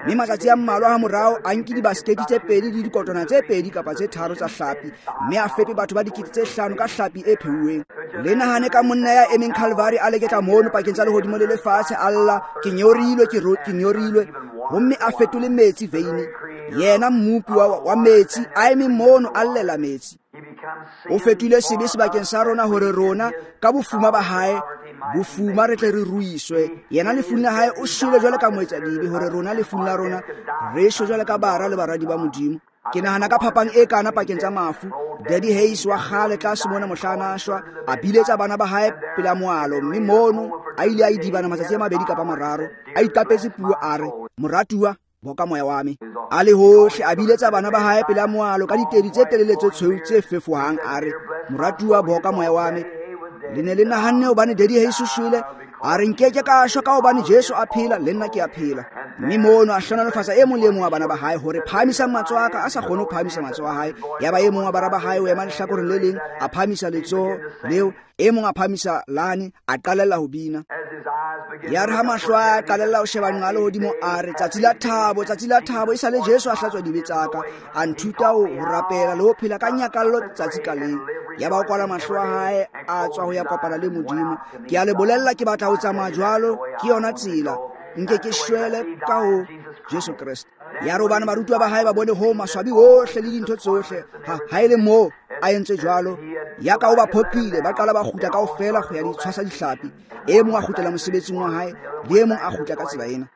A: Mme matsatsi a mmalwa ha morao a nke dibaskete tse pedi le dikotwana tse pedi kapa tse tharo tsa hlapi, mme a fepe batho ba 5,000 ka hlapi e pheuweng. Le nahane ka monna ya emeng Calvary a leketla mono pakeng tsa lehodimo le lefatshe, a lla, ke nyorilwe, ke nyorilwe, homme a fetole metsi veine. Yena mmopi wa metsi a eme mono a llela metsi. O fetohile sebe sebakeng sa rona hore rona ka bofuma ba hae, bofuma re tle re ruiswe. Yena lefung la hae o shwele jwalo ka moetsadibe, hore rona lefung la rona re shwe jwalo ka bara le baradi ba Modimo. Ke nahana ka phapang e kana pakeng tsa mafu. Daddy Hayes wa kgale tlase mona mohla a shwa, a biletsa bana ba hae pela moalo, mme mono a ile a idibana matsatsi a mabedi kapa mararo, a iqapetse puo a re, moratuwa, boka moya wa me. A le hohle a biletsa bana ba hae pela moalo ka ditedi tse telele tse tshweu tse fefohang, a re, moratuwa, boka moya wa me. Le ne le nahanne hobane Daddy Hayes o shwele, a re nkeke ka shwa ka hobane Jesu a phela, le nna ke a phela. Mme mono a hlohonolofatsa e mong le e mong wa bana ba hae hore phahamisang matsoho a ka, a sa kgone ho phahamisa matsoho a hae. Yaba e mong wa bara ba hae o ema lehlakoreng le leng, a phahamisa letsoho leo, e mong a phahamisa lane, a qalella ho bina. Ya re ha mahlo a qalella ho sheba nqa lehodimo, a re, tsatsi la thabo, tsatsi la thabo, e sale Jesu a hlatswa dibe tsa ka, a nthuta ho rapela le ho phela ka nyakallo tsatsi ka leng. Yaba o kwala mahlo a hae, a tswa ho ya kopana le Modimo. Ke a le bolella, ke batla ho tsamaya jwalo, ke yona tsela. Nke ke shwele ka ho Jesu Kreste. Ya re hobane barutuwa ba hae ba bone ho maswabi ohle le dintho tsohle, ha e le moo a entse jwalo, ya ka o ba phoqile, ba qala ba kgutla kaofela ho ya di tshwasa dihlapi. E mong a kgutlela mosebetsing wa hae, le e mong a kgutla ka tsela ena.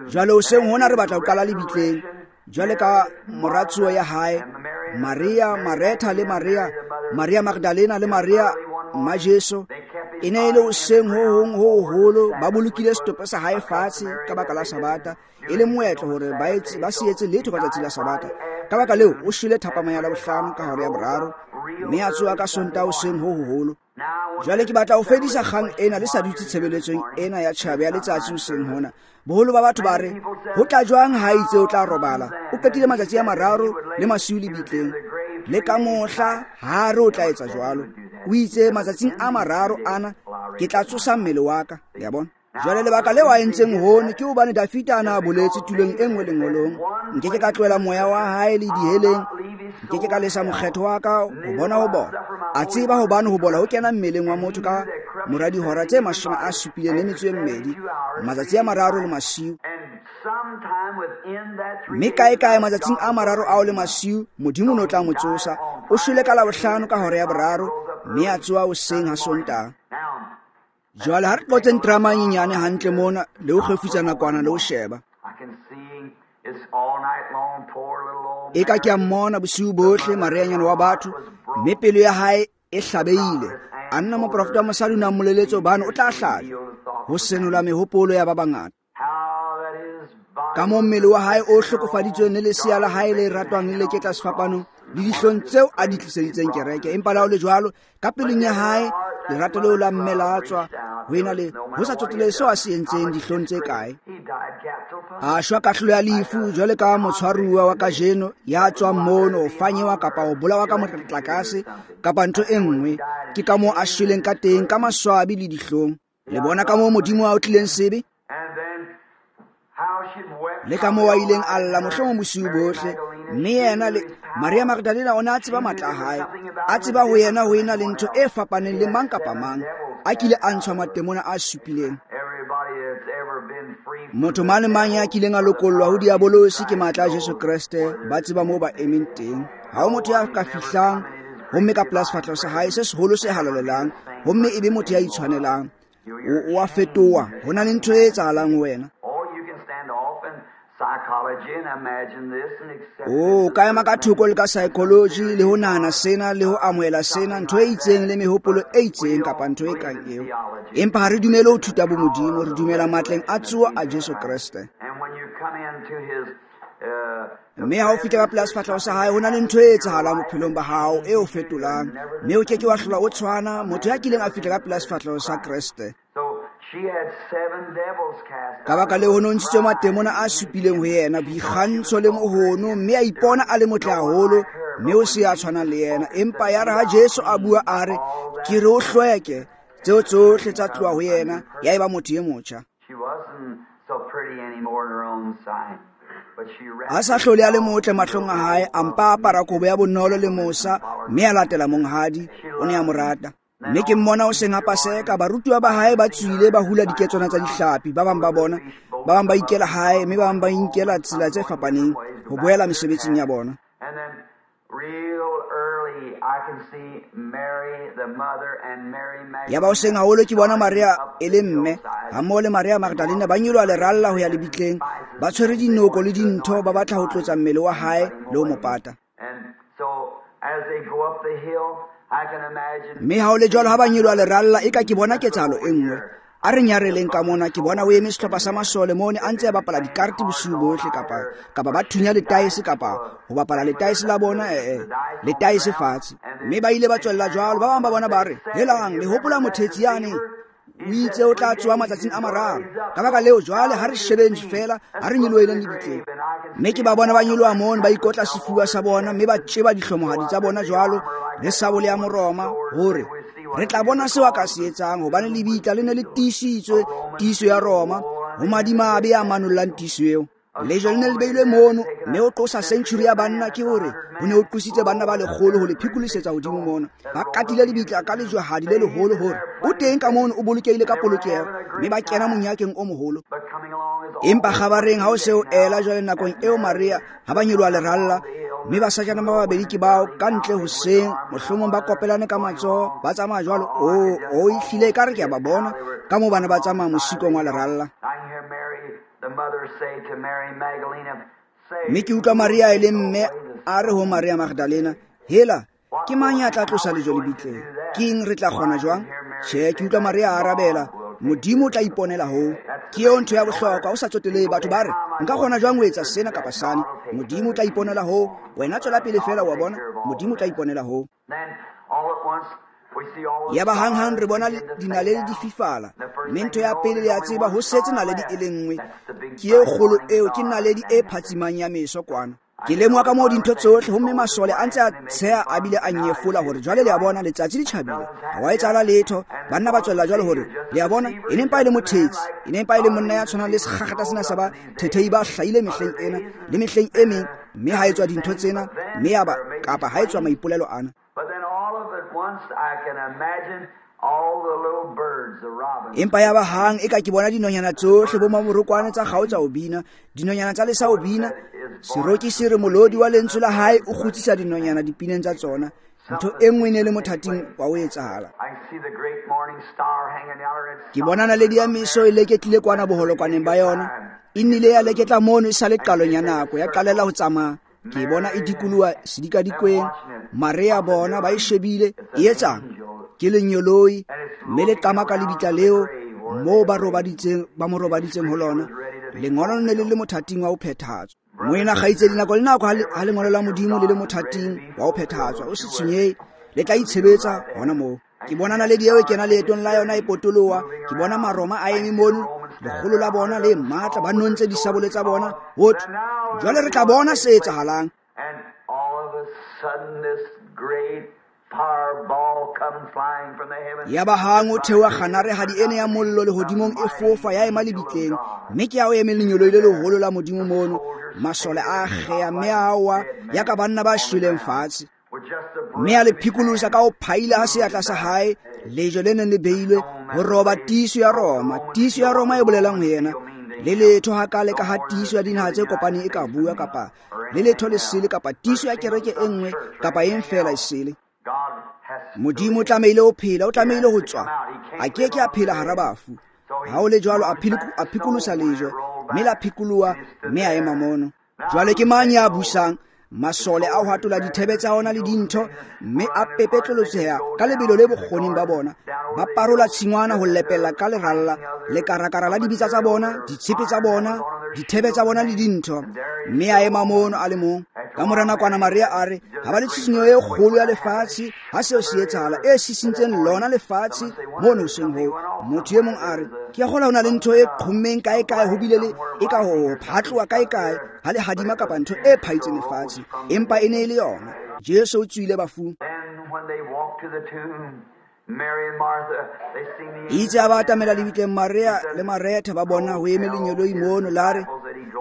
A: Jwale hoseng hona re batla ho qala lebitleng. Jwale ka moratsuo ya hae, Maria, Maretha le Maria, Maria Magdalena le Maria mma Jesu, e ne e le hoseng ho hong ho hoholo, ba bolokile setopo sa hae fatshe ka baka la Sabata, e le moetlo hore ba se etse letho ka tsatsi la Sabata. Ka baka leo, o shwele thapama ya Labohlano ka hora ya boraro, mme a tsoha ka Sontaha hoseng ho hoholo. Jwale ke batla ho fedisa kgang ena le sa dutse tshebeletsong ena ya tjhaba ya letsatsi hoseng hona. Boholo ba batho ba re, ho tla jwang ha itse o tla robala? O qetile matsatsi a mararo le masiu lebitleng. Le ka mohla ha re o tla etsa jwalo. O itse matsatsing a mararo ana ke tla tsosa mmele wa ka. Le a bona? Jwale lebaka leo a entseng hono ke hobane Dafita a na boletse tulong e nngwe lengolong, nke ke ka tlohela moya wa hae le diheleng, nke ke ka lesa mokgetho wa ka ho bona ho bola. A tseba hobane ho bola ho kena mmeleng wa motho ka mora dihora tse 72, matsatsi a mararo le masiu. Mme kae-kae matsatsing a mararo ao le masiu, Modimo o ne o tla mo tsosa. O shwele ka Labohlano ka hora ya boraro, mme a tsoha hoseng ha Sontaha. Jwale ha re qotseng drama e nyenyane hantle mona, le ho kgefutsa nakwana le ho sheba. Eka ke a mmona bosiu bohle, Marianyana wa batho, mme pelo ya hae e hlabehile. A nna moprofeta wa mosadi o ne a mmoleletse hobane o tla hlajwa, ho senola mehopolo ya ba bangata. Ka moo mmele wa hae o hlokofaditsweng le lesea la hae le ratwang le leketla sefapanong, le dihlong tseo a di tliseditseng kereke. Empa le ha ho le jwalo, ka pelong ya hae lerato leo la mme la tswa ho ena le ho sa tsotelehe seo a se entseng, dihlong tse kae. A shwa kahlolo ya lefu jwale ka motshwaruwa wa kajeno ya tswang mono ho fanyewa kapa ho bolawa ka motlakase kapa ntho e nngwe. Ke ka moo a shweleng ka teng, ka maswabi le dihlong. Le bona ka moo Modimo a otlileng sebe? Le ka moo a ileng a lla mohlomong bosiu bohle. Mme yena le Maria Magdalena o ne a tseba matla a hae, a tseba ho yena ho ena le ntho e fapaneng le mang kapa mang a kile a ntshwa matemona a supileng. Motho mang le mang ya kileng a lokollwa ho diabolosi ke matla a Jesu Kreste, ba tseba moo ba emeng teng. Ha ho motho ya ka fihlang homme ka pela sefahleho sa hae se seholo se halalelang, homme e be motho ya itshwanelang. O a fetoha, ho na le ntho e etsahalang ho wena. O ka ema ka thoko le ka psychology le ho nahana sena le ho amohela sena, ntho e itseng le mehopolo e itseng kapa ntho e kang eo. Empa ha re dumele ho thuta bomodimo, re dumela matleng a tsoho a Jesu Kreste. Mme ha o fihla ka pela sefahleho sa hae, ho na le ntho e etsahalang bophelong ba hao e o fetolang, mme o ke ke wa hlola o tshwana motho ya kileng a fihla ka pela sefahleho sa Kreste. Ka baka leo ho ne ho ntshitswe matemona a supileng ho yena, boikgantsho le mohono, mme a ipona a le motle haholo, mme o se a tshwanang le yena. Empa ya re ha Jesu a bua a re, ke re o hlweke, tseo tsohle tsa tloha ho yena, ya eba motho e motjha. A sa hlole a le motle mahlong a hae, a mpa apara kobo ya bonolo le mosa, mme a latela monghadi, o ne a mo rata. Mme ke mmona o seng a Paseka, barutuwa ba hae ba tswile ba hula diketswana tsa dihlapi, ba bang ba bona, ba bang ba ikela hae, mme ba bang ba inkela tsela tse fapaneng ho boela mesebetsing ya bona. Yaba hoseng haholo ke bona Maria e le mme hammoho le Maria Magdalena ba nyoloha leralla ho ya lebitleng, ba tshwere dinoko le dintho, ba batla ho tlotsa mmele wa hae le ho mo pata. Mme ha ho le jwalo, ha ba nyoloha leralla, eka ke bona ketsahalo e nngwe. A re nyareleng ka mona, ke bona o eme sehlopha sa masole mone a ntse a bapala dikarte bosiu bohle, kapa ba thunya letaese, kapa ho bapala letaese la bona, letaese fatshe. Mme ba ile ba tswella jwalo. Ba bang ba bona ba re, helang, le hopola mothetsi yane? O itse o tla tsoha matsatsing a mararo. Ka baka leo jwale ha re shebeng feela, ha re nyolohileng lebitleng. Mme ke ba bona ba nyoloha mono, ba ikotla sefuba sa bona, mme ba tjeba dihlomohadi tsa bona jwalo, le sabole ya Moroma, hore re tla bona seo a ka se etsang, hobane lebitla le ne le tiisitswe, tiiso ya Roma, ho madimabe a manollang tiiso eo. Lejwe le ne le beilwe mono, mme o tlosa century ya banna ke hore ho ne ho tlositse banna ba lekgolo ho le phikolosetsa hodimo mona. Ba katile lebitla ka lejwehadi le leholo hore o teng ka mono o bolokehile ka polokeho, mme ba kena monyakeng o moholo. Empa kgabareng ha o se o ela jwale nakong eo Maria ha ba nyoloha leralla, mme basajana ba babedi ke bao ka ntle hoseng, mohlomong ba kopelane ka matsoho, ba tsamaya jwalo. O ehlile ekare ke a ba bona ka moo bana ba tsamaya mosikong wa leralla. Mme ke utlwa Maria e le mme a re ho Maria Magdalena, hela, ke mang ya tla tlosa lejwe lebitleng? Ke eng re tla kgona jwang? Tjhe, ke utlwa Maria a arabela, Modimo o tla iponela hoo. Ke eo ntho ya bohlokwa, o sa tsotelehe batho ba re, nka kgona jwang ho etsa sena kapa sane? Modimo o tla iponela hoo. Wena tswela pele fela, wa bona, Modimo o tla iponela hoo. Yaba hanghang re bona dinaledi di fifala, mme ntho ya pele le ya tseba ho setse naledi e le nngwe. Ke e kgolo eo, ke naledi e phatsimang ya meso kwana. Ke lemoha ka moo dintho tsohle, homme masole a ntse a tsheha a bile a nyefola hore jwale le a bona letsatsi le tjhabile, ha wa etsahala letho. Banna ba tswella jwalo hore le a bona e ne mpa e le mothetsi, e ne mpa e le monna ya tshwanang le sekgakgata sena sa ba thethehi ba hlahile mehleng ena le mehleng e meng, mme ha etswa dintho tsena, mme ya ba kapa ha etswa maipolelo ana. Empa ya ba hang e ka ke bona dinonyana tsohle bo maborokwane tsa kgaotsa ho bina, dinonyana tsa lesa ho bina. Seroki se re molodi wa lentswe la hae o kgutsisa dinonyana dipineng tsa tsona. Ntho e nngwe e ne le mothating wa ho etsahala. Ke bona naledi ya meso e leketlile kwana boholokwaneng ba yona. E nnile ya leketla mono e sa le qalong ya nako, ya qalela ho tsamaya. Ke bona e dikoloha sedikadikweng. Maria bona ba e shebile, e etsang? Ke lenyoloi, mme le qamaka lebitla leo moo ba robaditseng, ba mo robaditseng ho lona. Lengolo le ne le le mothating wa ho phethahatswa. Moena kgaitsedi, nako le nako ha lengolo la Modimo le le mothating wa ho phethahatswa, o se tshwenyehe, le tla itshebetsa hona moo. Ke bona naledi eo e kena leetong la yona e potoloha. Ke bona Maroma a eme mono, lekgolo la bona le matla, ba nontse disabole tsa bona. Ho thwe, jwale re tla bona se etsahalang. Yaba hang o theoha kganarehadi ena ya mollo lehodimong e fofa ya ema lebitleng, mme ke ya o eme lenyoloi le leholo la Modimo mono. Masole a akgeha mme a wa ya ka banna ba shweleng fatshe, mme a le phikolosa ka ho phaila ha seatla sa hae lejwe le neng le beilwe ho roba tiiso ya Roma. Tiiso ya Roma e bolelang ho yena le letho hakale ka ha tiiso ya dinaha tse kopaneng e ka bua, kapa le letho le sele, kapa tiiso ya kereke e nngwe kapa eng fela e sele. Modimo o tlamehile ho phela, o tlamehile ho tswa. A ke ke a phela hara bafu. Ha o le jwalo, a phikolosa lejwe, mme la phikoloha, mme a ema mono. Jwale ke mang ya busang? Masole a hwatola dithebe tsa ona le dintho, mme a pepetlolotseha ka lebelo le bokgoning ba bona. Ba parola tshingwana ho lepella ka leralla, lekarakara la dibitsa tsa bona, ditshepe tsa bona, dithebe tsa bona le dintho. Mme a ema mono a le mong. Ka mora nakwana Maria a re, ha ba le tshisinyo e kgolo ya lefatshe, ha seo se etsahala, e sisintseng lona lefatshe mono hoseng hoo. Motho e mong a re, ke a kgola ho na le ntho e qhommeng kae-kae, ho bile le e ka ho phatloha kae-kae, ha le hadima kapa ntho e phaitseng lefatshe. Empa e ne e le yona. Jesu o tswile bafung. Itse ha ba atamela lebitleng, Maria le Maretha ba bona ho eme lenyoloi mono, la re,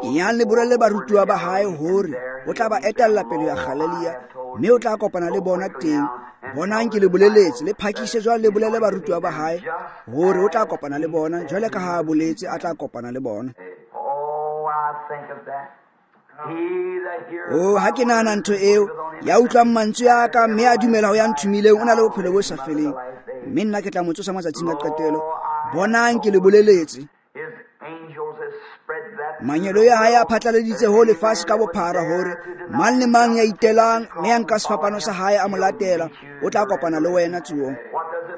A: yang le bolelle barutuwa ba hae hore o tla ba etella pele ya Galilea, mme o tla kopana le bona teng. Bonang ke le boleletse, le phakise jwale le bolelle barutuwa ba hae hore o tla kopana le bona, jwale ka ha a boletse a tla kopana le bona. Oh, ha ke nahana ntho eo, ya utlwang mantswe a ka mme a dumela ho ya nthomileng, o na le bophelo bo sa feleng, mme nna ke tla mo tsosa matsatsing a qetelo. Bonang ke le boleletse. Mangeloi a hae a phatlaladitse ho lefatshe ka bophara hore mang le mang ya itelang mme ya nka sefapano sa hae a mo latela, o tla kopana le wena tsohong.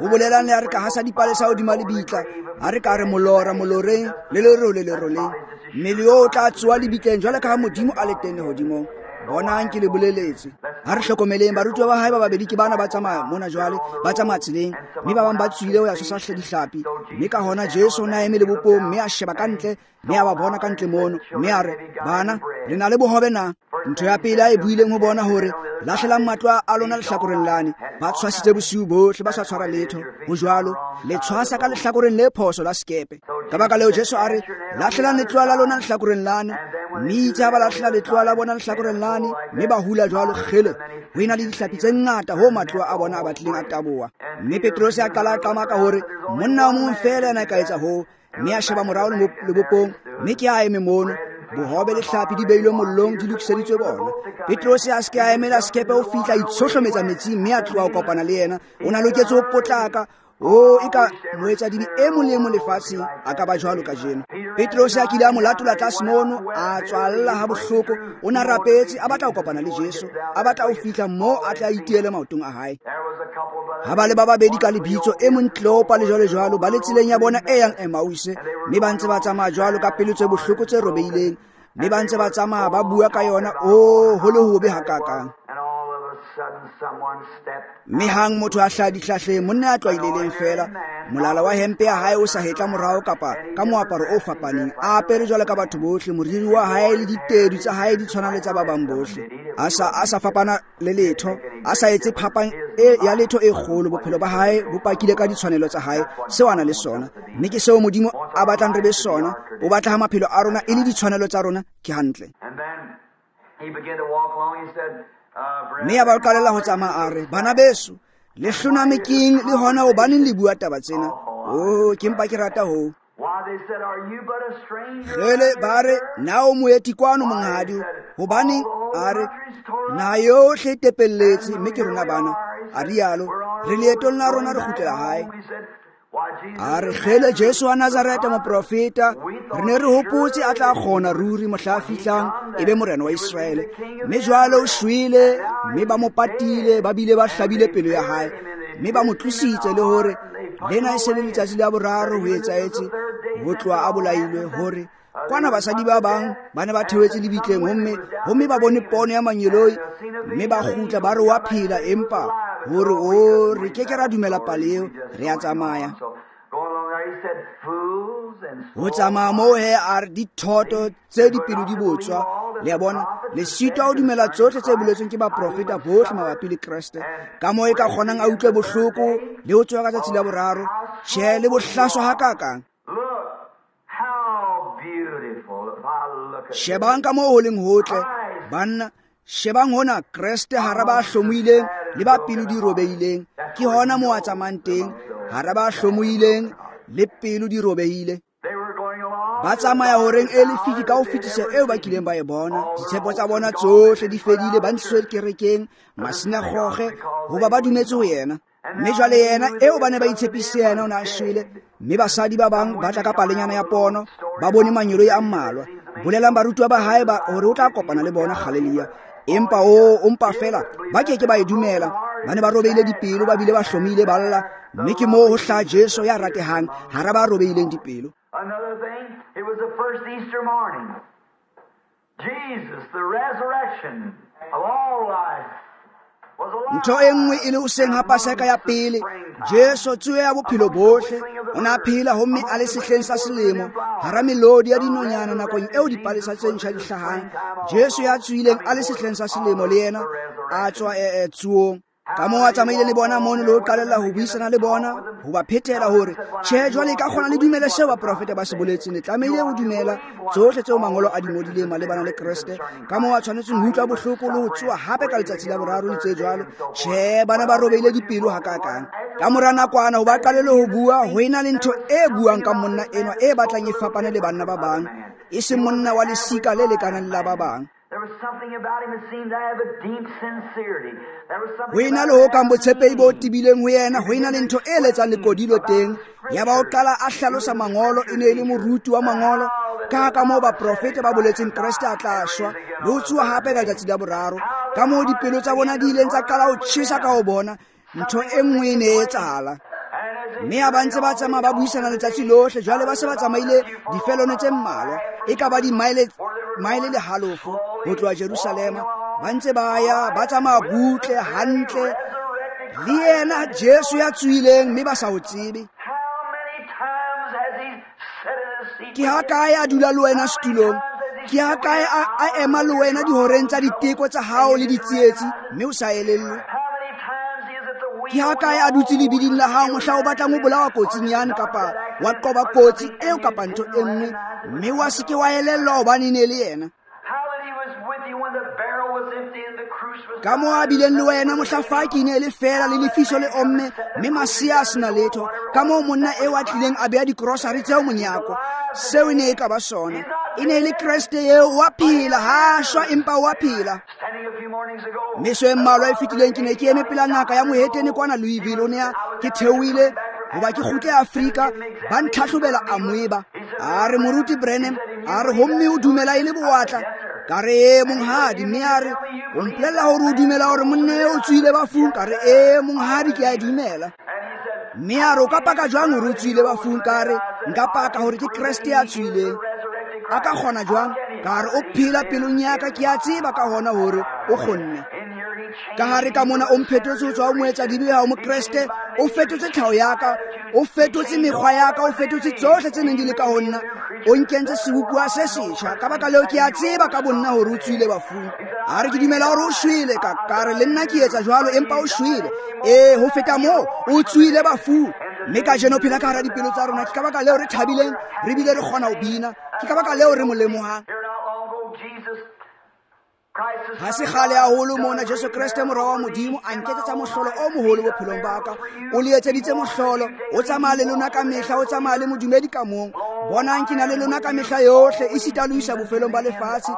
A: Ho bolelang le ha re ka hasa dipalesa hodima lebitla, ha re ka re molora moloreng le lerole leroleng, mmele oo o tla tsoha lebitleng jwale ka ha Modimo a le teng lehodimong. Bonang ke le boleletse. Ha re hlokomeleng barutuwa ba hae ba babedi ke bana ba tsamaya mona jwale, ba tsamaya tseleng, mme ba bang ba tswile ho ya tshwasa dihlapi. Mme ka hona Jesu o ne a eme lebopong, mme a sheba ka ntle, mme a ba bona ka ntle mono, mme a re, bana, le na le bohobe na? Ntho ya pele a e buileng ho bona hore Lahlelang matloa a lona lehlakoreng lane. Ba tshwasitse bosiu bohle, ba sa tshwara letho. Ho jwalo, le tshwasa ka lehlakoreng le phoso la sekepe. Ka baka leo Jesu a re, lahlelang letloa la lona lehlakoreng lane. Mme itse ha ba lahlela letloa la bona lehlakoreng lane, mme ba hula jwalo kgele. Ho ena le dihlapi tse ngata ho matloa a bona a batlileng a taboha. Mme Petrose a qala a qamaka hore monna o mong feela yena a ka etsa hoo. Mme a sheba morao lebopong, mme ke a eme mono. Bohobe le hlapi di beilwe mollong, di lokiseditswe bona. Petrose a se ke a emela sekepe ho fihla, a itshohlometsa metsing, mme a tloha ho kopana le yena. O na loketse ho potlaka. O e ka moetsadibe e mong le e mong lefatsheng a ka ba jwalo kajeno. Petrose a kile a mo latola tlase mono, a tswalla ha bohloko. O na rapetse, a batla ho kopana le Jesu, a batla ho fihla moo a tla itiele maotong a hae. Ha ba le ba babedi ka lebitso, e mong Kleopa le jwalo jwalo, ba le tseleng ya bona e yang Emause, mme ba ntse ba tsamaya jwalo ka pelo tse bohloko tse robehileng, mme ba ntse ba tsamaya ba bua ka yona, o ho le hobe hakakang. Mme hang motho a hlaha dihlahleng, monna ya tlwaileleng feela, molala wa hempe ya hae o sa hetla morao kapa ka moaparo o fapaneng, a apere jwalo ka batho bohle, moriri wa hae le ditedu tsa hae di tshwana le tsa ba bang bohle, a sa fapana le letho, a sa etse phapang ya letho e kgolo. Bophelo ba hae bo pakile ka ditshwanelo tsa hae, seo a na le sona, mme ke seo Modimo a batlang re be sona. O batla ha maphelo a rona e le ditshwanelo tsa rona. Ke hantle. Mme a ba qalela ho tsamaya, a re, bana beso, le hloname keng le hona hobaneng le bua taba tsena? Oh, ke mpa ke rata hoo. Kgele, ba re, na o moeti kwano monghadi? Hobaneng? A re, na yohle e tepelletse, mme ke rona bana. A rialo, re leetong la rona re kgutlela hae. A re, kgele, Jesu wa Nazareta moprofeta, re ne re hopotse a tla kgona ruri mohla a fihlang e be morena wa Iseraele. Mme jwale o shwele, mme ba mo patile, ba bile ba hlabile pelo ya hae, mme ba mo tlositse, le hore lena e se le letsatsi la boraro ho etsahetse ho tloha a bolailwe. Hore kwana basadi ba bang ba ne ba theohetse lebitleng, homme ba bone pono ya mangeloi, mme ba kgutla ba re wa phela, empa hore o re ke ke ra dumela pale eo, re a tsamaya. Ho tsamaya moo he, a re dithoto tse dipelo di botswa. Le a bona, le sitwa ho dumela tsohle tse boletsweng ke baprofeta bohle mabapi le Kreste, ka moo e ka kgonang a utlwe bohloko le ho tsoha ka tsatsi la boraro. Tjhe, le bohlaswa hakakang. Shebang ka moo ho leng hotle, banna. Shebang hona Kreste hara ba hlomohileng le ba pelo di robehileng. Ke hona moo a tsamayang teng, hara ba hlomohileng le pelo di robehile. Ba tsamaya horeng e lefifi ka ho fetisa eo ba kileng ba e bona. Ditshepo tsa bona tsohle di fedile, ba ntshitswe kerekeng, masinagoge, hoba ba dumetse ho yena. Mme jwale yena eo ba ne ba itshepisitse yena o ne a shwele. Mme basadi ba bang ba tla ka palenyana ya pono, ba bone mangeloi a mmalwa, bolelang barutiwa ba hae ba hore o tla kopana le bona Galilea. Empa o mpa fela ba ke ke ba e dumela. Ba ne ba robehile dipelo, ba bile ba hlomile ba lla. Mme ke moo ho hlaha Jesu ya ratehang hara ba robehileng dipelo.
B: Another thing, it was the first Easter morning. Jesus, the resurrection of all life,
A: Ntho e nngwe e le hoseng ha Paseka ya pele, Jesu tsoho ya bophelo bohle, o ne a phela homme a le sehleng sa selemo, hara melodi ya dinonyana nakong eo dipalesa tse ntjha di hlahang. Jesu ya tsohileng a le sehleng sa selemo le yena a tswa tsohong. Ka moo a tsamaile le bona mono le ho qalella ho buisana le bona, ho ba phethela hore tjhe, jwale e ka kgona le dumele seo baprofeta ba se boletseng. Le tlamehile ho dumela tsohle tseo mangolo a di ngodileng malebana le Kreste, ka moo a tshwanetseng ho utlwa bohloko le ho tsoha hape ka letsatsi la boraro le tse jwalo. Tjhe, bana ba robehile dipelo hakakang. Ka mora nakwana ho ba qalele ho bua, ho ena le ntho e buang ka monna enwa e batlang e fapane le banna ba bang, e seng monna wa lesika le lekanang le la ba bang. Ho ena le ho kang botshepehi bo tebileng ho yena, ho ena le ntho e letsang lekodilo teng. Ya ba o qala a hlalosa mangolo, e ne e le moruti wa mangolo, ka moo baprofeta ba boletseng Kreste a tla shwa le ho tsoha hape ka letsatsi la boraro, ka moo dipelo tsa bona di ileng tsa qala ho tjhesa ka ho bona ntho e nngwe e ne e etsahala. Mme ha ba ntse ba tsamaya ba buisana letsatsi lohle, jwale ba se ba tsamaile difelone tse mmalwa, e ka ba dimaele maele le halofo ho tloha Jerusalema, ba ntse ba ya ba tsamaya butle hantle le yena Jesu ya tsohileng, mme ba sa ho tsebe. Ke ha kae a dula le wena setulong? Ke a kae a ema le wena dihoreng tsa diteko tsa hao le ditsietsi, mme o sa elellwe? Ke ha kae a dutse lebiding la hao mohla o batlang ho bolawa kotsing yane, kapa wa qoba kotsi eo kapa ntho e nngwe, mme wa se ke wa elellwa hobane e ne le yena? Ka moo a bileng le wena mohla faki e ne e le feela le lefiso le omme, mme masea a sena letho. Ka moo monna eo a tlileng a beha dikrosari tseo monyako, seo e ne e ka ba sona. E ne e le Kreste eo, wa phela, ha shwa empa wa phela. Meso e mmalwa e fetileng ke ne ke eme pela ngaka ya mohetene kwana Louisville. O ne a ke theohile hoba ke kgutle Afrika, ba ntlhahlobela amoeba. A re, Moruti Branham, a re, homme o dumela e le bowatla? Ka re, ee monghadi. Mme a re, o mpolella hore o dumela hore monna eo o tswile bafung? Ka re, ee monghadi, ke a e dumela. Mme a re, o ka paka jwang hore o tswile bafung? Ka re, nka paka hore ke Kreste ya tswileng. A ka kgona jwang? Ka re, o phela pelong ya ka, ke a tseba ka hona hore o kgonne. Ka hare ka mona o mphetotse ho tswa ho moetsadibe ha o Mokreste, o fetotse tlhaho ya ka, o fetotse mekgwa ya ka, o fetotse tsohle tse neng di le ka ho nna, o nkentse sebopuwa se setjha. Ka baka leo ke a tseba ka bonna hore o tswile bafung. A re, ke dumela hore o shwele. Ka re, le nna ke etsa jwalo, empa o shwele. Ee, ho feta moo, o tswile bafung. Mme kajeno o phela ka hara dipelo tsa rona. Ke ka baka leo re thabileng, re bile re kgona ho bina. Ke ka baka leo re mo lemohang. Ha se kgale haholo mona Jesu Kreste mora wa Modimo a nketsetsa mohlolo o moholo bophelong ba ka. O le etseditse mohlolo, o tsamaya le lona ka mehla, o tsamaya le modumedi ka mong. Bonang, ke na le lona ka mehla yohle, esita le ho isa bofelong ba lefatshe.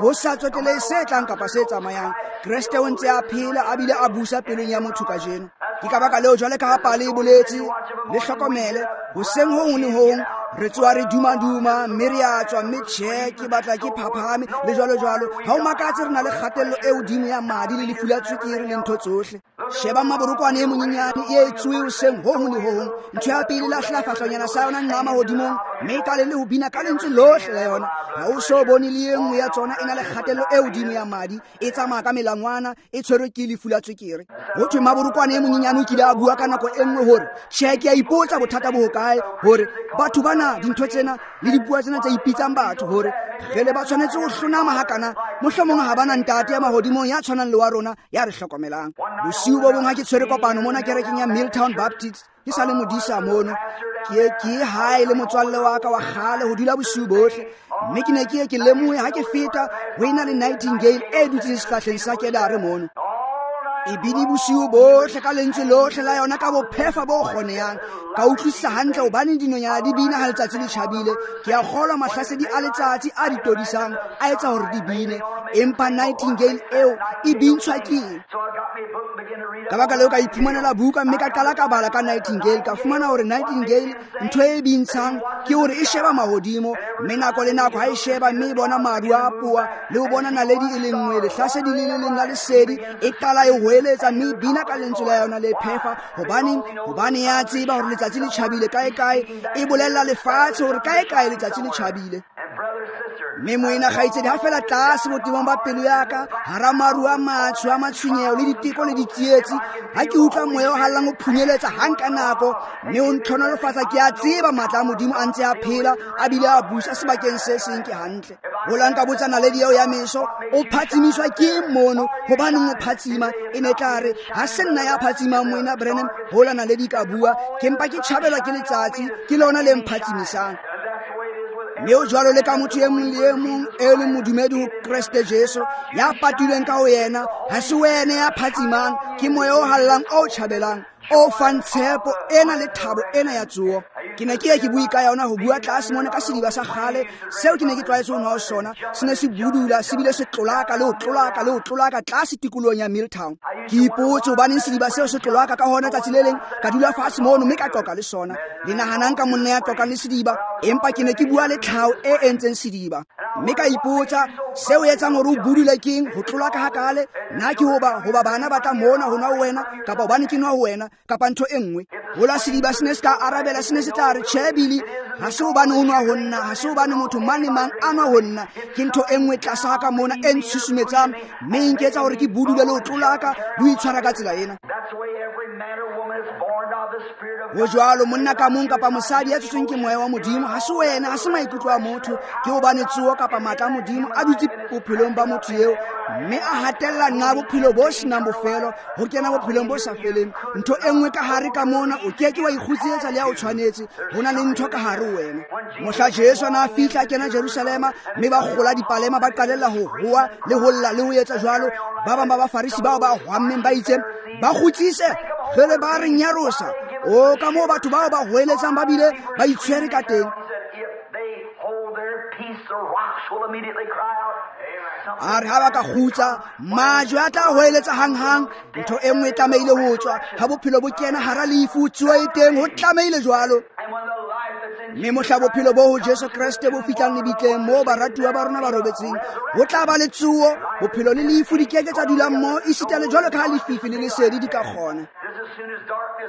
A: Ho sa tsotelehe se tlang kapa se tsamayang, Kreste o ntse a phela a bile a busa pelong ya motho kajeno. Ke ka baka leo jwale ka ha pale e boletse, le hlokomele, hoseng ho hong le hong re tsoha re duma-duma, mme re a tswa, mme tjhe, ke batla ke phaphame, le jwalo-jwalo. Ha o makatse re na le kgatello e hodimo ya madi le lefu la tswekere le ntho tsohle. Sheba maborokwane e monyenyane e etsuwe hoseng ho hong le ho hong. Ntho ya pele lahlela fahlonyana sa yona nqama hodimong, mme ka le le ho bina ka lentswe lohle la yona. Ha o so bone le e nngwe ya tsona e na le kgatello e hodimo ya madi, e tsamaya ka melangwana, e tshwerwe ke lefu la tswekere. Ho thwe maborokwane e monyenyane o kile a bua ka nako e nngwe hore, tjhe, ke a ipotsa bothata bo hokae hore batho bana, dintho tsena le dipuo tsena tse ipitsang batho, hore kgele ba tshwanetse ho hlonama hakana, mohlomong ha bana ntate ya mahodimong ya tshwanang le wa rona ya re hlokomelang. Bosiu bo bong ha ke tshwere kopano mona kerekeng ya Milltown Baptist, ke sa le modisa mono, ke hae le motswalle wa ka wa kgale ho dula bosiu bohle, mme ke ne ke ye ke lemohe ha ke feta ho ena le nightingale e dutseng sehlahleng sa kedare mono. E bine bosiu bohle ka lentswe lohle la yona ka bophefa bo kgonehang. Ka utlwisisa hantle hobane dinonyana di bina ha letsatsi le tjhabile. Ke a kgolwa mahlasedi a letsatsi a di todisang a etsa hore di bine, empa nightingale eo e bintshwa ke eng? Ka baka leo ka iphumanela buka mme ka qala ka bala ka nightingale. Ka fumana hore nightingale ntho e bintshang ke hore e sheba mahodimo, mme nako le nako ha e sheba mme e bona maru a apoha le ho bona naledi e le nngwe, lehlasedi le le leng la lesedi, e qala e hoeletsa mme e bina ka lentswe la yona le phefa. Hobaneng? Hobane ya tseba hore letsatsi le tjhabile kae kae, e bolella lefatshe hore kae kae letsatsi le tjhabile. Mme moena kgaitsedi, ha fela tlase botebong ba pelo ya ka, hara maru a matsho a matshwenyeho le diteko le ditsietsi, ha ke utlwa moya o hallang o phunyeletsa hang ka nako, mme o ntlhonolofatsa, ke a tseba matla a Modimo a ntse a phela, a bile a busa sebakeng se seng. Ke hantle. Hola nka botsa naledi eo ya meso, o phatsimiswa ke eng mono? Hobaneng o phatsima? E ne tla re, ha se nna ya phatsimang moena Branham, hola naledi ka bua, ke mpa ke tjhabelwa ke letsatsi, ke lona le mphatsimisang. Mme o jwalo le ka motho e mong le e mong e leng modumedi ho Kreste Jesu, ya patilweng ka ho yena, ha se wena ya phatsimang, ke moya o hallang o tjhabelang, o fang tshepo ena le thabo ena ya tsoho. Ke ne ke ye ke bue ka yona ho bua tlase mona ka sediba sa kgale seo ke ne ke tlwaetse ho nwa ho sona, se ne se budula se bile se tlolaka le ho tlolaka le ho tlolaka tlase tikolohong ya Milltown. Ke ipotse hobaneng sediba seo se tlolaka ka hona. Tsatsi le leng ka dula fatshe mono mme ka qoqa le sona. Le nahanang ka monna ya qoqang le sediba? Empa ke ne ke bua le tlhaho e entseng sediba, mme ka ipotsa seo etsang hore o budule keng ho tlolaka hakale? Na ke hoba bana ba tla mona ho nwa ho wena, kapa hobane ke nwa ho wena, kapa ntho e nngwe? Hola sediba se ne se ka arabela, se ne se tla re, tjhe Billy, ha se hobane o nwa ho nna, ha se hobane motho mang le mang a nwa ho nna, ke ntho e nngwe tlasa ka mona e ntshusumetsang, mme e nketsa hore ke budule le ho tlolaka le ho itshwara ka tsela ena. Ho jwalo monna ka mong kapa mosadi ya tsotsweng ke moya wa Modimo, ha se wena, ha se maikutlo a motho, ke hobane tsoho kapa matla a Modimo a dutse bophelong ba motho eo, mme a hatella nqa bophelo bo senang bofelo, ho kena bophelong bo sa feleng. Ntho e nngwe ka hare ka mona, o ke ke wa ikgutsetsa le ha o tshwanetse, ho na le ntho ka hare ho wena. Mohla Jesu a na fihla a kena Jerusalema, mme ba kgola dipalema, ba qalella ho hoa le ho lla le ho etsa jwalo. Ba bang ba Bafarisi bao ba hwammeng ba itse, ba kgutsise, jwale ba re nyarosa. O ka moo batho bao ba hoeletsang ba bile ba itshwere ka teng. A re ha ba ka kgutsa, majwe a tla hoeletsa hanghang. Ntho e nngwe e tlamehile ho tswa. Ha bophelo bo kena hara lefu, tsoho e teng, ho tlamehile jwalo. Mme mohla bophelo bo ho Jesu Kreste bo fihlang lebitleng moo baratuwa ba rona ba robetseng, ho tla ba le tsoho. Bophelo le lefu di keke tsa dula mmoho, esita le jwalo ka ha lefifi le lesedi di ka kgona.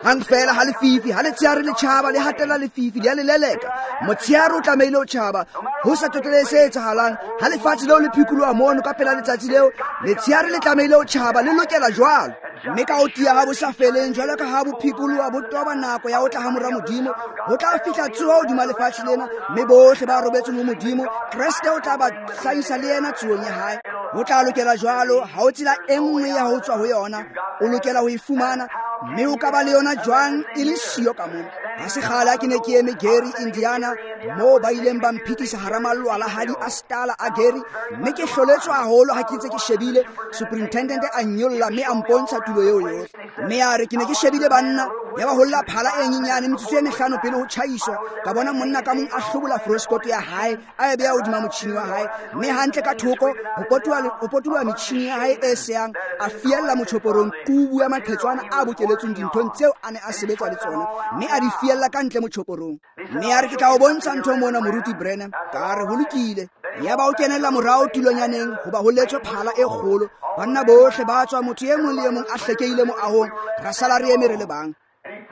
A: Hang fela ha lefifi, ha letsheare le tjhaba, le hatella lefifi, le a le leleka. Motsheare o tlamehile ho tjhaba, ho sa tsotelehe se etsahalang. Ha lefatshe leo le phikoloha mono ka pela letsatsi leo, letsheare le tlamehile ho tjhaba, le lokela jwalo. Mme ka ho tiya ha bo sa feleng, jwalo ka ha bo phikoloha bo toba nako ya ho tla ha mora Modimo, ho tla fihla tsoho hodima lefatshe lena, mme bohle ba robetseng ho Modimo, Kreste o tla ba hlahisa le yena tsohong ya hae. Ho tla lokela jwalo, ha ho tsela e nngwe ya ho tswa ho yona, o lokela ho e fumana, mme o ka ba le yona jwang e le siyo ka mona. Ha se kgale ha ke ne ke eme Gary, Indiana, moo ba ileng ba mphitisa hara malwalahadi a stala a Gary, mme ke hloletswe haholo ha ke ntse ke shebile. Superintendent a nyolla mme a mpontsha tulo eo yohle. Mme a re ke ne ke shebile banna, ya ba holla phala e nyenyane metsotso e mehlano pele ho tjhaiswa, ka bona monna ka mong a hlobola froskoto ya hae, a e beha hodima motjhini wa hae, mme hantle ka thoko ho potoloha metjhini ya hae e seyang, a fiella motjhoporong qubu ya maqhetswana a bokeletsweng dinthong tseo a ne a sebetsa le tsona, mme a di fiella ka ntle motjhoporong. Mme a re ke tla o bontsha ntho mona, Moruti Branham. Ka re ho lokile. Yaba o kenella morao tulonyaneng hoba ho letswe phala e kgolo. Banna bohle ba tswa, motho e mong le e mong a hlekehile moahong, ra sala re eme re le bang.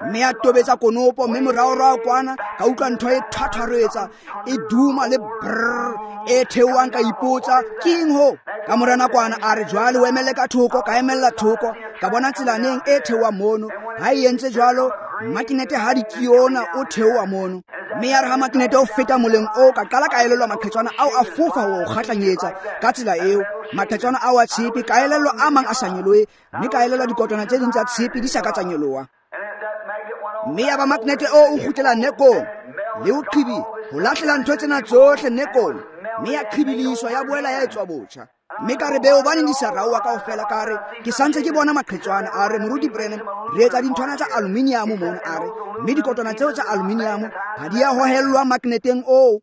A: Mme a tobetsa konopo, mme moraorao kwana ka utlwa ntho e thwathwaretsa, e duma le brrr e theohang. Ka ipotsa ke eng ho. Ka mora nakwana a re jwale o emelle ka thoko, ka emella thoko, ka bona tselaneng e theohang mono. Ha e entse jwalo, makinete ha di kiona o theoha mono. Mme ya re ha makinete o feta moleng oo, ka qala ka elellwa maqhetswana ao a fofa ho kgahlanyetsa ka tsela eo. Maqhetswana ao a tshepe, ka elellwa a mang a sa nyolohe, mme ka elellwa dikotwana tse ding tsa tshepe di sa ka tsa nyoloha. Mme ya ba makinete o kgutlela nekong le ho qhibi, ho lahlela ntho tsena tsohle nekong, mme ya qhibiliswa, ya boela ya etswa botjha. Mme ka re be hobaneng di sa raoha kaofela? Ka re ke santse ke bona maqhetswana. A re Moruti Branham, re etsa dinthwana tsa aluminium mona. A re mme dikotwana tseo tsa aluminium ha di a hohellwa magneteng oo.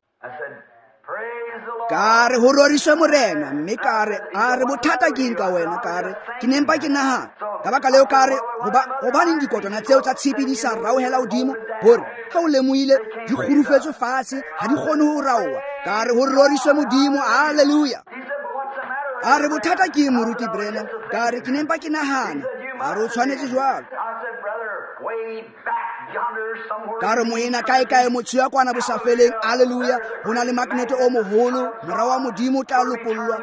A: Ka re ho roriswe Morena. Mme ka re, a re bothata ke eng ka wena? Ka re ke ne mpa ke nahana. Ka baka leo ka re hobaneng dikotwana tseo tsa tshepe di sa raohela hodimo? Hore ha o lemohile di kgurufetswe fatshe, ha di kgone ho raoha. Ka re ho roriswe Modimo, haleluya. A re bothata ke eng, Moruti Branham? Ka re ke ne mpa ke nahana. A re o tshwanetse jwalo. Ka re moena kae kae motho ya kwana bosafeleng, haleluya, ho na le magnete o moholo, mora wa Modimo o tla lokollwa,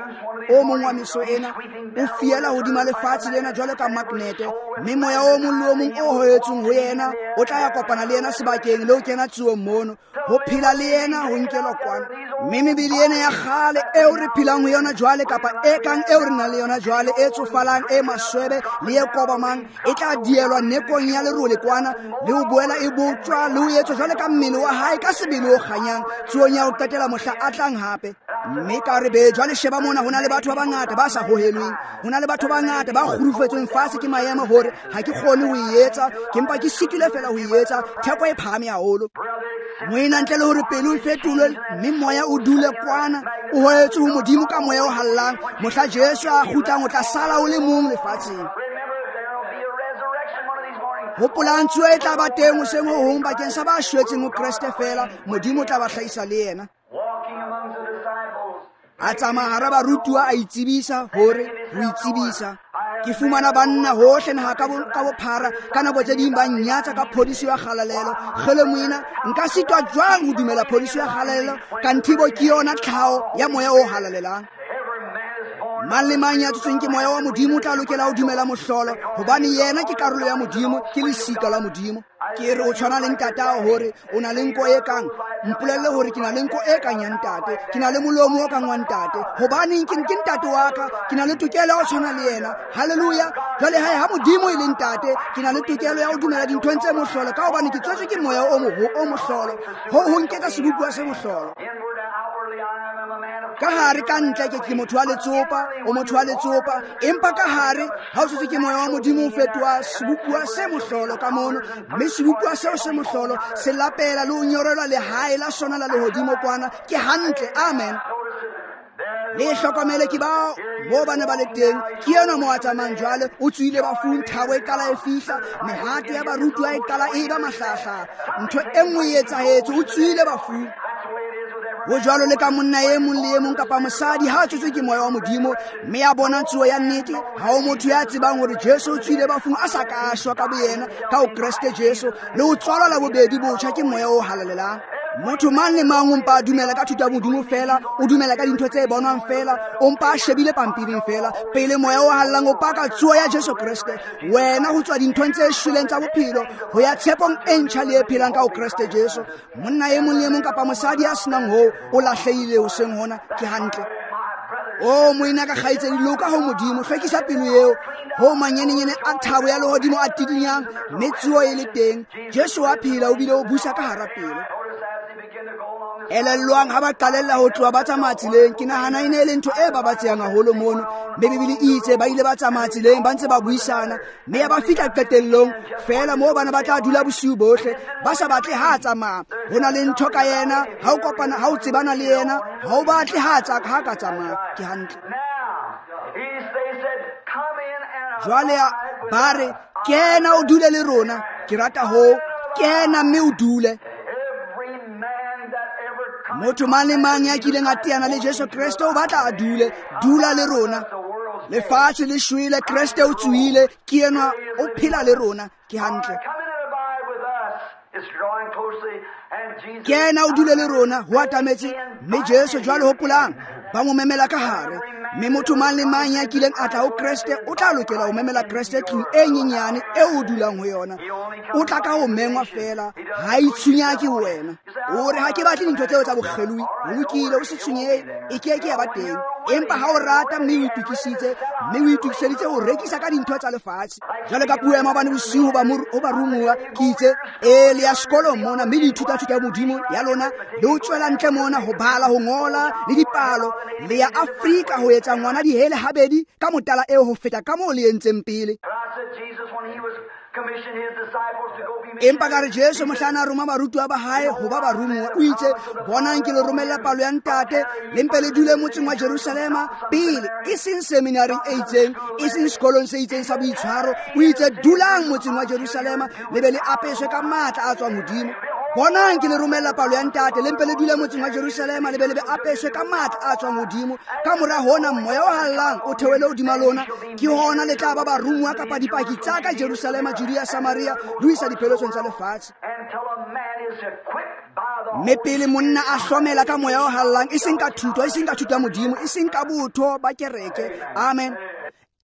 A: o mong wa meso ena o fiela hodima lefatshe lena jwalo ka magnete, mme moya o mong le o mong o hoetsweng ho yena o tla ya kopana le yena sebakeng le ho kena tsuong mono, ho phela le yena ho nkelwa kwana. Mme mebele ena ya kgale eo re phelang ho yona jwale, kapa e kang eo re nang le yona jwale, e tsofalang, e maswebe le e kobamang, e tla dielwa nekong ya lerole kwana, le ho boela e botjwa le ho etswa jwale ka mmele wa hae ka sebele o kganyang, tsuong ya ho qetela mohla a tlang hape. Mme ka re be jwale sheba mona, ho na le batho ba bangata ba sa hohelweng, ho na le batho ba bangata ba kgurufetsweng fatshe ke maemo hore ha ke kgone ho e etsa, ke mpa ke sitilwe fela ho e etsa, theko e phahame haholo. Moena ntle le hore pelo e fetolwe mme moya o dule kwana, o hoetswe ho Modimo ka moya o hallang, mohla Jesu a kgutlang o tla sala o le mong lefatsheng. Hopolang tsuo e tla ba teng hoseng ho hong bakeng sa ba shwetseng ho Kreste fela, Modimo o tla ba hlahisa le yena. A tsamaya hara barutuwa, a itsebisa hore ho itsebisa. Ke fumana banna hohle naha ka bophara, ka nako tse ding ba nnyatsa ka phodiso ya kgalalelo. Kgele moena, nka sitwa jwang ho dumela phodiso ya kgalalelo kanthibo ke yona tlhaho ya moya o halalelang? Mang le mang ya tsotsweng ke moya wa Modimo o tla lokela ho dumela mohlolo, hobane yena ke karolo ya Modimo, ke lesika la Modimo. Ke re o tshwana le ntatao hore o na le nko e kang, mpolelle hore ke na le nko e kang ya ntate, ke na le molomo o kang wa ntate. Hobaneng ke ntate wa ka, ke na le tokelo ya ho tshwana le yena. Hallelujah. Jwale hae ha Modimo e le ntate, ke na le tokelo ya ho dumela dinthong tse mohlolo, ka hobane ke tswetswe ke moya o mohlolo. Ho nketsa sebopuwa se mohlolo. Ka hare ka ntle ke motho wa letsopa, o motho wa letsopa, empa ka hare ha o tswetswe ke moya wa Modimo o fetoha sebopuwa se mohlolo ka mono, mme sebopuwa seo se mohlolo se lapela le ho nyorelwa lehae la sona la lehodimo kwana. Ke hantle. Amen. Le hlokomele ke bao moo ba ne ba le teng. Ke enwa mo a tsamayang jwale, o tswile bafung, thabo e qala e fihla, mehato ya barutuwa e qala e ba mahlahlaha. Ntho e nngwe e etsahetse, o tswile bafung. Ho jwalo le ka monna e mong le e mong kapa mosadi ha a tswetswe ke moya wa Modimo mme a bona tsuo ya nnete. Ha o motho ya tsebang hore Jesu o tswile bafung a sa ka shwa ka boyena ka ho Kreste Jesu, le ho tswalwa la bobedi botjha ke moya o halalelang. Motho mang le mang o mpa a dumela ka thuto ya Modimo fela, o dumela ka dintho tse bonwang fela, o mpa a shebile pampiring fela. Pele moya o hallang o paka tsuo ya Jesu Kreste, wena ho tswa dinthong tse shweleng tsa bophelo ho ya tshepong e ntjha le e phelang ka ho Kreste Jesu. Monna e mong le e mong kapa mosadi ya senang hoo o lahlehile hoseng hona. Ke hantle. O moena ka kgaitsedi, loka ho Modimo, hlwekisa pelo eo ho manyenenyene a thabo ya lehodimo a tidinyang, mme tsuo e le teng. Jesu wa phela, o bile o busa ka hara pelo. Elellwang ha ba qalella ho tloha ba tsamaya tseleng. Ke nahana e ne e le ntho e babatsehang haholo mono, mme Bibele e itse ba ile ba tsamaya tseleng ba ntse ba buisana, mme ya ba fihla qetellong feela moo bana ba tla dula bosiu bohle ba sa batle ha a tsamaya. Ho na le ntho ka yena, ha o kopana, ha o tsebana le yena, ha o batle ha ha ka tsamaya. Ke hantle. Jwale ba re, kena o dule le rona. Ke rata ho kena mme o dule. Motho mang le mang ya kileng a teana le Jesu Kreste o batla a dule. Dula le rona. Lefatshe le shwele, Kreste o tsohile, ke enwa o phela le rona. Ke hantle. Kena o dule le rona, ho atametse, mme Jesu jwale hopolang, ba mo memela ka hare. Mme motho mang le mang ya kileng a tla ho Kreste o tla lokela ho memela Kreste tlung e nyenyane eo o dulang ho yona. O tla ka ho mengwa fela, ha itshunyake ho wena. O re ha ke batle dintho tseo tsa bokgelui, ho lokile, o se tshwenyehe, e ke ke ya ba teng. Empa ha o rata mme o itokisitse, mme o itokiseditse ho rekisa ka dintho tsa lefatshe. Jwale ka puo ya maobane bosiu ho barumuwa, ke itse, e le ya sekolong mona, mme le ithuta thuto ya Modimo ya lona, le ho tswela ntle mona ho bala, ho ngola le dipalo. Le ya Afrika ho etsa ngwana dihele habedi ka motala eo ho feta ka moo le entseng pele. Empa ka re Jesu mohlana a roma barutuwa ba hae ho ba barumuwa, o itse, bonang ke le romella palo ya ntate, le mpe le dule motseng wa Jerusalema pele, e seng seminaring e itseng, e seng sekolong se itseng sa boitshwaro. O itse, dulang motseng wa Jerusalema, le be le apeswe ka matla a tswang hodimo. Bonang ke le romella palo ya ntate, le mpe le dule motseng wa Jerusalema, le be le be apeswe ka matla a tswang hodimo. Ka mora hona moya o hallang o theohele hodima lona, ke hona le tla ba barumuwa kapa dipaki tsa ka Jerusalema, Judea, Samaria, le ho isa dipheletsong tsa lefatshe. Mme pele monna a hlomela ka moya o hallang, e seng ka thuto, e seng ka thuto ya Modimo, e seng ka botho ba kereke. Amen.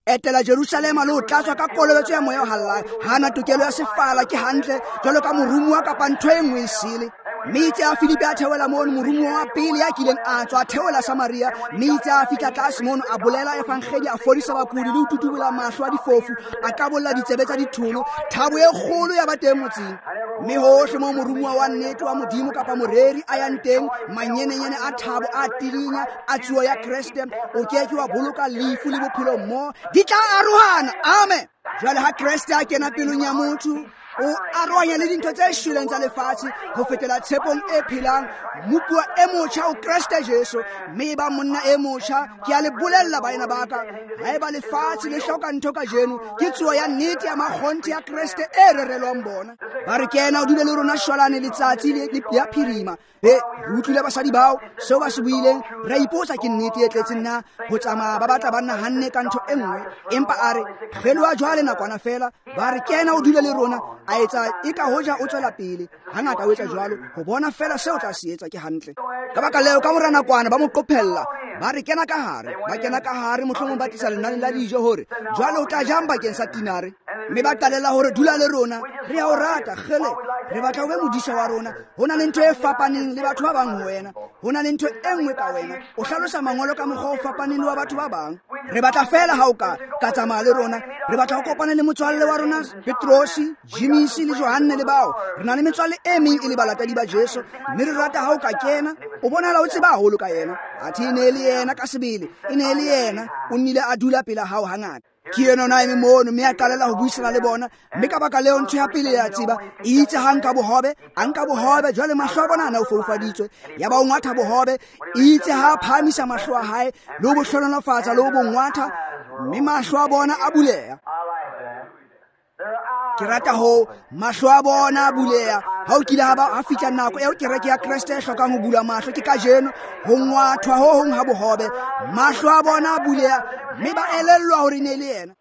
A: Etela Jerusalema le ho tlatswa ka kolobetso ya moya o hallang. Hana tokelo ya sefala, ke hantle, jwalo ka morumuwa kapa ntho e nngwe e sele. Mme itse a Filipi a theohela mono, morumuwa wa pele ya kileng a tswa a theohela Samaria. Mme itse a fihla tlase mono, a bolela evangeli, a fodisa bakudi le ho tutubola mahlo a difofu, a qabolla ditsebe tsa ditholo. Thabo e kgolo ya ba teng motseng. Mme hohle moo morumuwa wa nnete wa Modimo kapa moreri a yang teng, manyenenyene a thabo a tidinya a tsuo ya Kreste, o ke ke wa boloka lefu le bophelo mmoho, di tla arohana. Amen. Jwale ha Kreste a kena pelong ya motho, o arohanya le dintho tse shweleng tsa lefatshe ho fetela tshepong e phelang, mopuo e motjha ho Kreste Jesu. Mme e ba monna e motjha. Ke a le bolella baena ba ka, haeba lefatshe le hloka ntho kajeno, ke tsuo ya nnete ya makgonthe ya Kreste e rerelwang bona. Ba re kena o dule le rona shwalane letsatsi le ya phirima. Be re utlwile basadi bao seo ba se buileng, ra ipotsa ke nnete e tletseng na ho tsamaya ba batla ba nahanne ka ntho e nngwe. Empa a re kgeloha jwale nakwana fela. Ba re kena o dule le rona, a etsa e ka hoja o tswela pele. Hangata o etsa jwalo ho bona fela seo tla se etsa. Ke hantle. Ka baka leo ka mora nakwana ba mo qophella, Ba re kena ka hare, ba kena ka hare, mohlomong ba tlisa lenane la dijo hore jwale o tla jang bakeng sa tinare. Mme ba qalella hore dula le rona, re a o rata, kgele, re batla o be modisa wa rona. Ho na le ntho e fapaneng le batho ba bang ho wena, ho na le ntho e nngwe ka wena. O hlalosa mangolo ka mokgwa o fapaneng le wa batho ba bang. Re batla fela ha o ka tsamaya le rona. Re batla ho kopana le motswalle wa rona Petrosi, Jimisi le Johanne le bao. Re na le metswalle e meng e le balatedi ba Jesu, mme re rata ha o ka kena. O bonahala o tseba haholo ka yena. Athe e ne e le yena ka sebele, e ne e le yena. O nnile a dula pela hao hangata. Ke ena o na eme mono, mme a qalela ho buisana le bona. Mme ka baka leo ntho ya pele ya tseba, e itse ha nka bohobe, a nka bohobe, jwale mahlo a bona a ne a foufaditswe. Ya ba o ngwatha bohobe, e itse ha a phahamisa mahlo a hae, le ho bo hlohonolofatsa, le ho bo ngwatha, mme mahlo a bona a buleha. Ke rata ho mahlo a bona a buleha. Ha o kile ha fihla nako eo kereke ya Kreste e hlokang ho bula mahlo, ke kajeno ho ngwathwa ho hong ha bohobe. Mahlo a bona a buleha, mme ba elellwa hore e ne e le yena.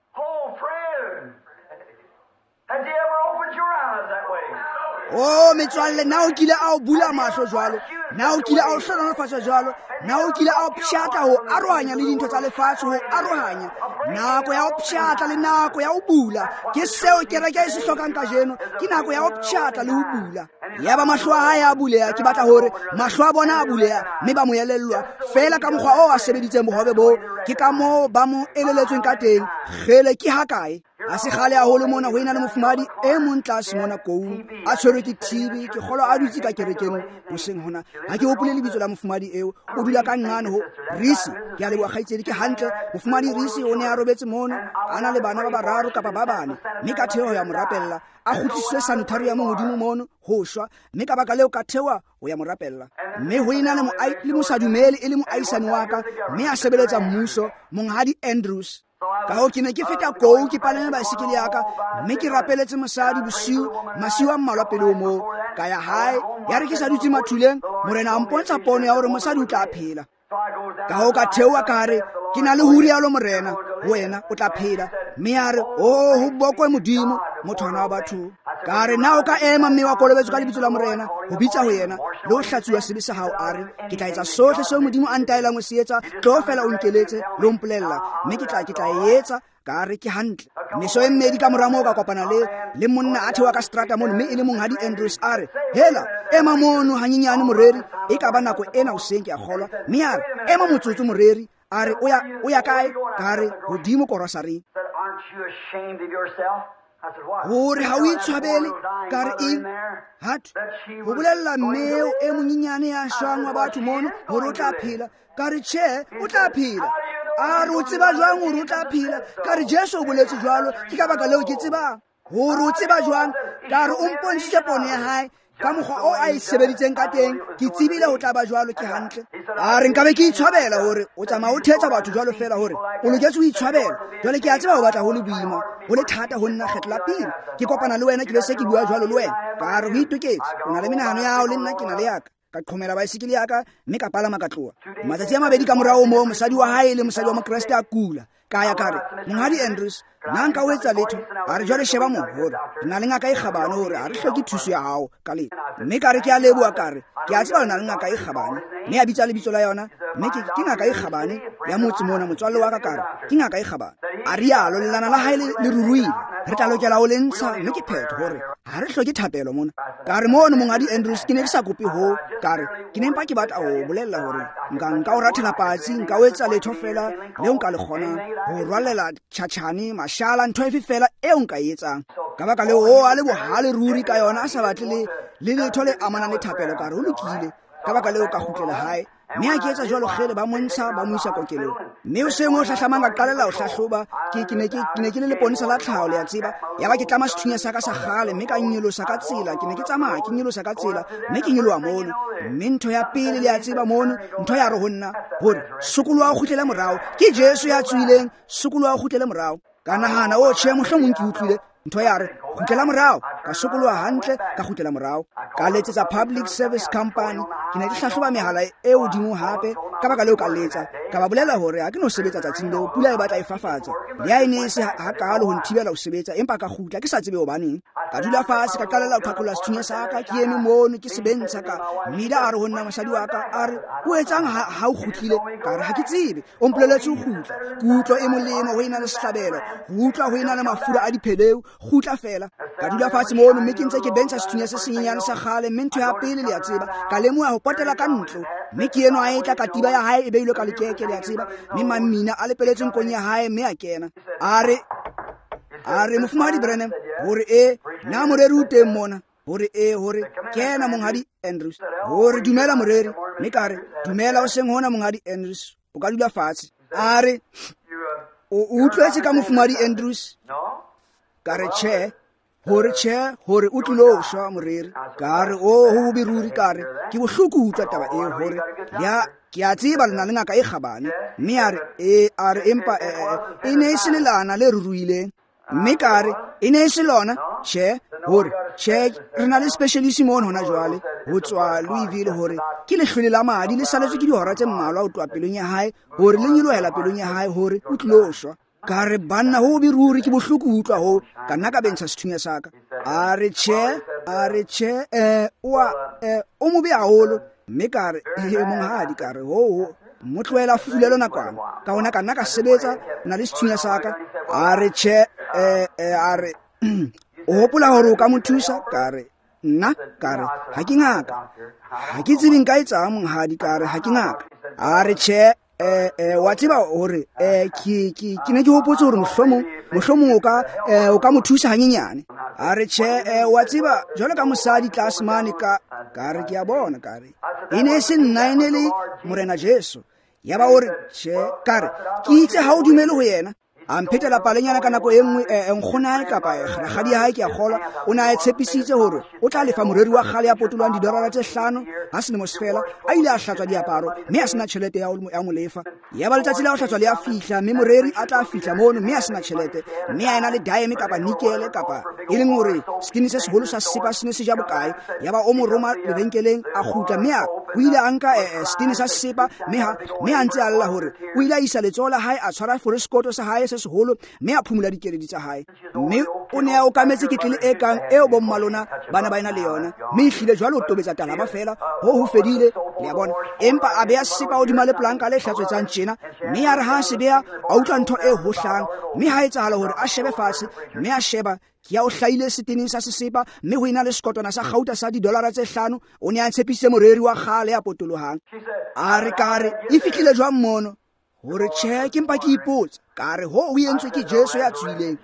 A: Oh, metswalle, na o kile a o bula mahlo jwalo? Na o kile a o hlohonolofatsa jwalo? Na o kile a o pshatla ho arohanya le dintho tsa lefatshe, ho arohanya? Nako ya ho pshatla le nako ya ho bula, ke seo kereke e se hlokang kajeno. Ke nako ya ho pshatla le ho bula. Yaba mahlo a hae a buleha. Ke batla hore mahlo a bona a buleha, mme ba mo elellwa fela ka mokgwa oo a sebeditseng bohobe boo. Ke ka moo ba mo eleletsweng ka teng. Kgele, ke hakae? A se kgale haholo mona ho ena le mofumahadi e mong tlase mona koung, a tshwerwe ke TB. Ke kgolwa a dutse ka kerekeng hoseng hona. Ha ke hopole lebitso la mofumahadi eo. O dula ka nqane ho Risi. Ke a leboha kgaitsedi, ke hantle. Mofumahadi Risi o ne a robetse mono, a na le bana ba bararo kapa ba bane, mme ka theoha ho ya mo rapella. A kgutlisitswe sanitarium hodimo mono ho shwa, mme ka baka leo ka theoha ho ya mo rapella. Mme ho ena le mosadumele e le moahisani wa ka, mme a sebeletsa mmuso, Monghadi Andrews. Ka hoo ke ne ke feta kou, ke palame baesekele ya ka, mme ke rapeletse mosadi bosiu, masiu a mmalwa pele ho moo. Ka ya hae, ya re ke sa dutse mathuleng, Morena a mpontsha pono ya hore mosadi o tla phela. Ka hoo ka theoha ka re, ke na le ho rialo Morena, ho wena o tla phela. Mme a re, oh, ho bokwe Modimo, mothwana wa batho. Ka re, na o ka ema mme wa kolobetswa ka lebitso la Morena, ho bitsa ho yena, le ho hlatsuwa sebe sa hao? A re, ke tla etsa sohle seo Modimo a ntaelang ho se etsa, tlo fela o nkeletse le ho mpolella, mme ke tla e etsa. Ka re, ke hantle. Meso e mmedi ka mora moo ka kopana le monna a theoha ka seterata mono, mme e le Monghadi Andrews. A re, hela, ema mono hanyenyane moreri, e ka ba nako ena hoseng ke a kgolwa. Mme a re, ema motsotso moreri. A re, o ya kae? Ka re, hodimo korosareng. Hore ha o itshwabele? Ka re, eng? Hathwe, ho bolella mmeo e monyenyane ya shwang wa batho mono hore o tla phela. Ka re, tjhe, o tla phela. A re, o tseba jwang hore o tla phela? Ka re, Jesu o boletse jwalo, ke ka baka leo ke tsebang. Hore o tseba jwang? Ka re, o mpontshitse pono ya hae ka mokgwa o a e sebeditseng ka teng, ke tsebile ho tla ba jwalo. Ke hantle. A re, nkabe ke itshwabela hore o tsamaya o thetsa batho jwalo fela, hore o loketse ho itshwabela. Jwale ke a tseba ho batla ho le boima, ho le thata ho nna kgetlo la pele ke kopana le wena, ke be se ke bua jwalo le wena. Ka re, ho itoketse, o na le menahano ya hao le nna ke na le ya ka. Ka qhomela baesekele ya ka, mme ka palama ka tloha. Matsatsi a mabedi ka morao moo, mosadi wa hae le mosadi wa Mokreste a kula. Ka ya ka re, Monghadi Andrews, na nka o etsa letho? A re, jwale sheba moo, hore re na le ngaka e kgabane, hore ha re hloke thuso ya hao ka letho. Mme ka re, ke a leboha, ka re, ke a tseba le na le ngaka e kgabane. Mme a bitsa lebitso la yona, mme ke ngaka e kgabane ya motse mona, motswalle wa ka. Ka re, ke ngaka e kgabane. A rialo, lelana la hae le ruruile. Re tla lokela ho le ntsha, mme ke phetho hore ha re hloke thapelo mona. Ka re, mono Monghadi Andrews, ke ne ke sa kope ho. Ka re, ke ne mpa ke batla ho bolella hore nka o rathela patsi, nka o etsa letho fela leo nka le kgonang, ho rwalela tjhatjhane, mashala, ntho efe fela eo nka e etsang. Ka baka leo, o a le bohale ruri ka yona, a sa batle le letho le amanang le thapelo. Ka re, ho lokile. Ka baka leo ka kgutlela hae. Mme ha ke etsa jwalo, kgele, ba montsha, ba mo isa kokelong. Mme hoseng ho hlahlamang ka qalella ho hlahloba. Ke ne ke le leponesa la tlhaho, le a tseba. Yaba ke tlama sethunya sa ka sa kgale, mme ka nyolosa ka tsela. Ke ne ke tsamaya, ke nyolosa ka tsela, mme ke nyoloha mono. Mme ntho ya pele, le a tseba mono, ntho ya re ho nna, hore sokoloha o kgutlele morao. Ke Jesu ya tswileng, sokoloha o kgutlele morao. Ka nahana, o tjhe, mohlomong ke utlwile. Ntho ya re, Kgutlela morao. Ka sokoloha hantle, ka kgutlela morao. Ka letsetsa Public Service Company. Ke ne ke hlahloba mehala e hodimo hape, ka baka leo ka letsa. Ka ba bolela hore ha ke no sebetsa tsatsing leo, pula e batla e fafatsa. Le ha e ne e se hakaalo ho nthibela ho sebetsa, empa ka kgutla ke sa tsebe hobaneng. Ka dula fatshe, ka qalella ho qhaqholla sethunya sa ka, ke eme mono ke se bentsha ka. Mida a re ho nna mosadi wa ka, a re, o etsang ha o kgutlile? Ka re, ha ke tsebe. O mpoleletse ho kgutla. Ke utlwa e molemo ho ena le sehlabelo, ho utlwa ho ena le mafura a dipheleu, kgutla fela. Ka dula fatshe mono mme ke ntse ke bentsha sethunya se senyenyane sa kgale, mme ntho ya pele le a tseba, ka lemoha ho potela ka ntlo. Mme ke eno a etla katiba ya hae e beilwe ka lekeke, le a tseba, mme mamina a lepeletse nkong ya hae, mme a kena. A re mofumahadi Branham, hore e na moreri o teng mona, hore e, hore kena monghadi Andrews, hore dumela moreri. Mme ka re, dumela o seng hona monghadi Andrews, o ka dula fatshe. A re, o utlwetse ka mofumahadi Andrews? Ka re, tjhe. Hore tjhe, hore o tlilo shwa moreri. Ka re, o ho bobe ruri. Ka re, ke bohloko ho utlwa taba eo, hore ya ke a tseba le na le ngaka e kgabane. Mme a re, e a re, empa e ne e se lelana le ruruileng. Mme ka re, e ne e se lona? Tjhe, hore tjhe, re na le specialist mono hona jwale ho tswa Louisville, hore ke lehlwele la madi le saletswe ke dihora tse mmalwa ho tloha pelong ya hae, hore le nyolohela pelong ya hae, hore o tlilo shwa. Ka re, banna, ho bobe ruri, ke bohloko ho utlwa ho. Ka nna ka bentsha sethunya sa ka. A re, tjhe, a re, tjhe, o mobe haholo. Mme ka re, monghadi, ka re, ho mo tlohela fulelo nakwana. Ka hona ka nna ka sebetsa na le sethunya sa ka. A re, tjhe, a re, o hopola hore o ka mo thusa? Ka re, nna, ka re, ha ke ngaka, ha ke tsebe nka etsang monghadi. Ka re, ha ke ngaka. A re, tjhe, wa tseba hore ke ne ke hopotse hore mohlomong o ka mo thusa hanyenyane. A re, tjhe, wa tseba jwalo ka mosadi tlase mane. Ka re, ke a bona. Ka re, e ne e se nna, e ne le Morena Jesu. Ya ba o re, tjhe. Ka re, ke itse ha o dumele ho yena. A mphetela palenyana ka nako e nngwe, nkgonae kapa rakgadi ya hae, ke a kgolwa, o ne a tshepisitse hore o tla lefa moreri wa kgale ya potolohang didolara tse 5 ha selemo se fela. A ile a hlatswa diaparo mme a sena tjhelete ya mo lefa. Ya ba letsatsi la ho hlatswa le a fihla, mme moreri a tla fihla mono mme a sena tjhelete, mme a ena le dime kapa nikele kapa e leng hore setene se seholo sa sesepa se ne se ja bokae. Ya ba o mo roma lebenkeleng, a kgutla mme o ile a nka setene sa sesepa, mme a ntse a lla hore o ile a isa letsoho la hae, a tshwara foreskoto sa hae se seholo, mme a phumula dikeledi tsa hae. Mme o ne a okametse ketlele e kang eo bomma lona bana ba ena le yona, mme ehlile jwale o tobetsa talaba fela, ho fedile, le a bona. Empa a beya sesepa hodima lepolanka le hlatswetsang tjena, mme ya re ha se beya, a utlwa ntho e hohlang, mme ha etsahala hore a shebe fatshe, mme a sheba, ke ya o hlahile seteneng sa sesepa, mme ho ena le sekotwana sa kgauta sa didolara tse 5. O ne a tshepisitse moreri wa kgale ya potolohang. A re, ka re, e fihlile jwang mono? Hore tjhe, ke mpa ke ipotsa. Ka re, ho o entswe ke Jesu ya tswileng.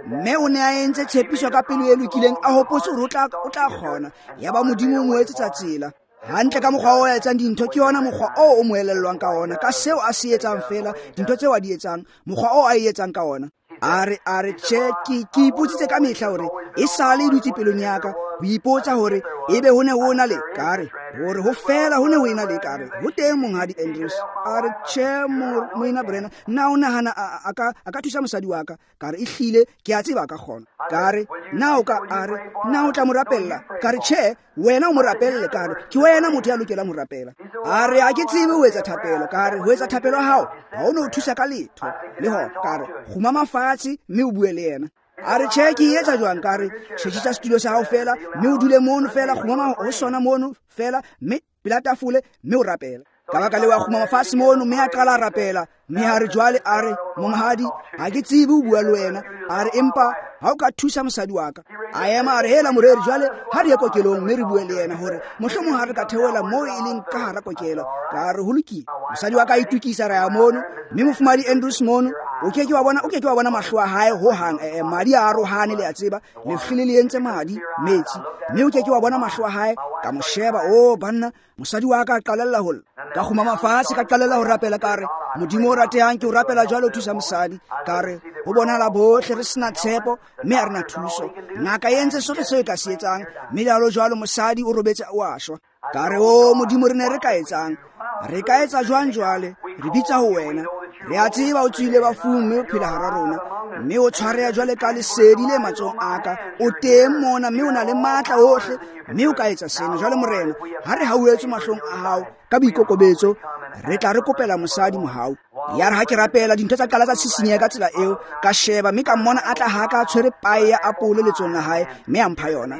A: Mme o ne a entse tshepiso ka pelo e lokileng, a hopotse hore o tla kgona. Ya ba Modimo o mo etsetsa tsela. Hantle ka mokgwa o etsang dintho, ke yona mokgwa oo o mo elellwang ka ona, ka seo a se etsang fela, dintho tseo a di etsang, mokgwa oo a e etsang ka ona. A re, tjhe, ke ipotsitse ka mehla hore e sale e dutse pelong ya ka, ho ipotsa hore ebe ho ne ho na le. Ka re, hore ho fela ho ne ho ena le. Ka re, ho teng monghadi Andrews. A re, tjhe, moena Branham, na o nahana a ka thusa mosadi wa ka? Ka re, ehlile, ke a tseba a ka kgona. Ka re, na o ka, a re, na o tla mo rapella? Ka re, tjhe, wena o mo rapelle. Ka re, ke wena motho ya lokelang ho rapela. A re, ha ke tsebe ho etsa thapelo. Ka re, ho etsa thapelo ya hao ha o no thusa ka letho le hona. Ka re, kgumama fatshe mme o bue le yena. A re, tjhe, ke etsa jwang? Ka re, tjhetjhisa setulo sa hao fela, mme o dule mono fela, kgumama ho sona mono fela, mme pela tafole, mme o rapela. Ka baka leo a kgumama fatshe mono, mme a qala a rapela. Mme a re jwale, a re, monghadi, ha ke tsebe ho bua le wena. A re, empa ha o ka thusa mosadi wa ka. A ema a re, hela moreri, jwale ha re ye kokelong mme re bue le yena hore mohlomong ha re ka theohela moo e leng ka hara kokelo. Ka re, ho lokile. Mosadi wa ka a itokisa, ra ya mono, mme mofumahadi Andrews mono, o ke ke wa bona mahlo a hae hohang. Madi a arohane, le a tseba, lehlwele le entse madi metsi, mme o ke ke wa bona mahlo a hae. Ka mo sheba, o banna, mosadi wa ka a qalella ho lla. Ka kgumama fatshe, ka qalella ho rapela. Ka re, Modimo o ratehang, ke o rapela jwale o thusa mosadi. Ka re, ho bonahala bohle re sena tshepo, mme ha re na thuso. Ngaka e entse sohle seo e ka se etsang, mme jwalo jwalo mosadi o robetse o a shwa. Ka re, o Modimo, re ne re ka etsang? Re ka etsa jwang jwale? Re bitsa ho wena. Re a tseba o tswile bafung mme o phela hara rona, mme o tshwareha jwale ka lesedi le matsohong a ka. O teng mona mme o na le matla ohle, mme o ka etsa sena. Jwale Morena, ha re hauhetswe mahlong a hao ka boikokobetso, re tla re kopela mosadi mohau. Ya re ha ke rapela, dintho tsa qala tsa sisinyeha ka tsela eo. Ka sheba mme ka mmona a tla ha ka tshwere pae ya apole letsohong la hae, mme a mpha yona.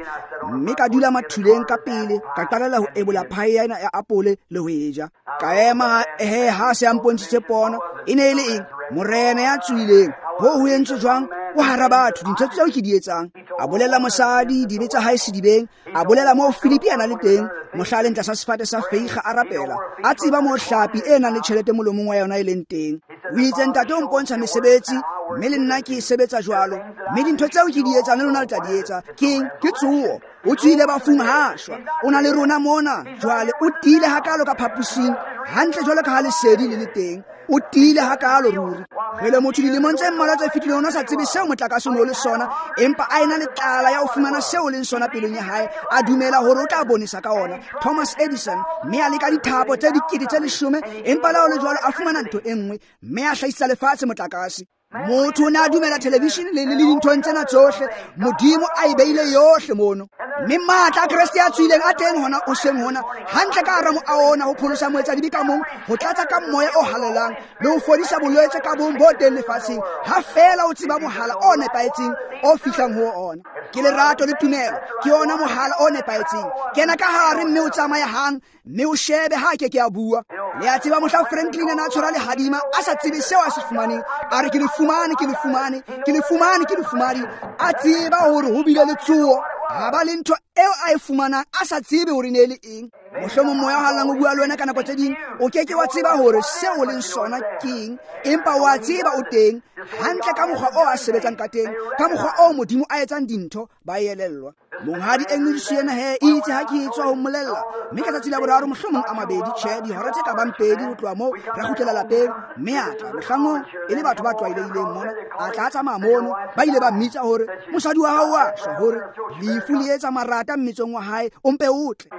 A: Mme ka dula mathuleng ka pele, ka qalella ho ebola pae ena ya apole le ho e ja. Ka ema ha se a mpontshitse pono. E ne e le eng? Morena ya tswileng. Ho ho entswe jwang? O hara batho, dintho tseo ke di etsang. A bolela mosadi dibe tsa hae sedibeng, a bolela moo Filipi a na le teng, mohla a leng tlasa sefate sa feiga a rapela, a tseba moo hlapi e nang le tjhelete molomong wa yona e leng teng. O itse, Ntate o mpontsha mesebetsi, mme le nna ke e sebetsa jwalo, mme dintho tseo ke di etsang le lona le tla di etsa. Keng? Ke tsoho. O tswile bafung ha shwa. O na le rona mona jwale. O tiile hakalo ka phapusing, hantle jwalo ka ha lesedi le le teng. O tiile hakalo ruri. Re le motho dilemong tse mmalwa tse fetileng o ne a sa tsebe seo motlakase o ne o le sona, empa a ena le tlala ya ho fumana seo o leng sona pelong ya hae, a dumela hore o tla bonesa ka ona. Thomas Edison, mme a leka dithapo tse 10,000, empa le ha ho le jwalo a fumana ntho e nngwe, mme a hlahisa lefatshe motlakase. Motho o ne a dumela television le dinthong tsena tsohle, Modimo a e beile yohle mono. Mme matla a Kreste a tswileng a teng hona o seng hona, hantle ka hara moaho ona, ho pholosa moetsadibe ka mong, ho tlatsa ka moya o halalelang, le ho fodisa bolwetse ka bong bo teng lefatsheng, ha feela o tseba mohala o nepahetseng o fihlang ho ona. Ke lerato le tumelo, ke ona mohala o nepahetseng. Kena ka hare mme o tsamaye hang, mme o shebe ha ke ke a bua. Le a tseba mohla Franklin a na tshwara lehadima, a sa tsebe seo a se fumaneng, a re ke le fumane, ke le fumane, ke le fumane, ke le fumane. A tseba hore ho bile le tsoho, ha ba le ntho eo a e fumanang, a sa tsebe hore ne e le eng. Mohlomong moya o halalelang o bua le wena ka nako tse ding, o ke ke wa tseba hore seo o leng sona keng, empa wa tseba o teng hantle ka mokgwa o a sebetsang ka teng, ka mokgwa o Modimo a etsang dintho, ba elellwa. Monghadi English yena he itse ha ke tswa ho mmolella, mme ka tsatsi la boraro mohlomong a mabedi, tjhe, dihora tse ka bang 2 ho tloha moo, ra kgutlela lapeng, mme a tla mohlang oo e le batho ba tlwaelehileng mona, a tla a tsamaya mono, ba ile ba mmitsa hore mosadi wa hao wa shwa, hore lefu le etsa marata mmetsong wa hae, o mpe o tle.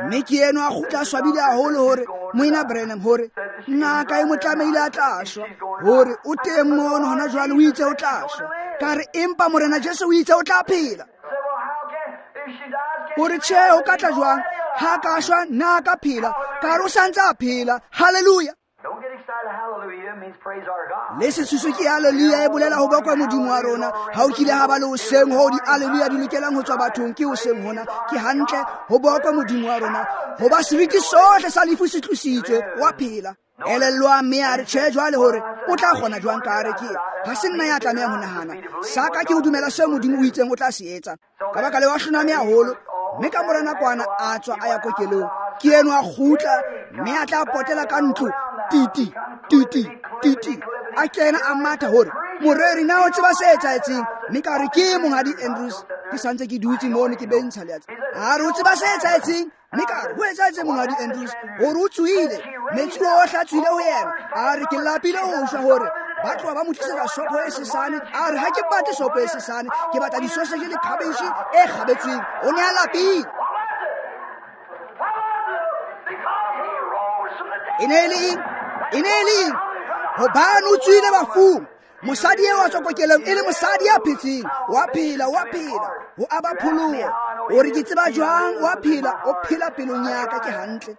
A: Mme ke eno a kgutla a swabile haholo hore Moena Branham, hore ngaka e mo tlamehile a tla shwa, hore o teng mono hona jwale, o itse o tla shwa. Ka re, empa Morena Jesu o itse o tla phela. Hore tjhe, o ka tla jwang? Ha ka shwa, nna ka phela. Ka re o sa ntse a phela. Hallelujah. Le sesusu ke hallelujah e bolela ho bokwa Modimo wa rona. Ha o kile ha ba le hoseng hoo di-hallelujah di lokelang ho tswa bathong, ke hoseng hona. Ke hantle ho bokwa Modimo wa rona, hoba seriti sohle sa lefu se tlositswe, wa phela. Elellwa, mme a re tjhe jwale hore o tla kgona jwang? Ka re ke ha se nna ya tlamehang ho nahana, sa ka ke ho dumela seo Modimo o itseng o tla se etsa. Ka baka leo a hloname haholo, mme ka mora nakwana a tswa a ya kokelong. Ke eno a kgutla, mme a tla potela ka ntlo, titi titi titi, a kena a matha hore moreri na o tseba se etsahetseng. Mme ka re ke monghadi Andrews, ke santse ke dutse mono ke bentsha le a re o tseba se etsahetseng. Mme ka re ho etsahetse monghadi Andrews hore o tswile, metsi ohle a tswile ho yena. A re ke lapile ho shwa, hore ba tloha ba mo tlisetsa sopho e sesane. A re ha ke batle sopho e sesane, ke batla disoseje le khabetjhe e kgabetsweng. O ne a lapile. E ne e le eng? E ne e le eng? Hobane o tswile bafung. Mosadi eo a tswa kokelong e le mosadi ya phetseng, wa phela, wa phela, ho aba pholoho. O re ke tseba jwang wa phela, o phela pelong ya ka, ke hantle.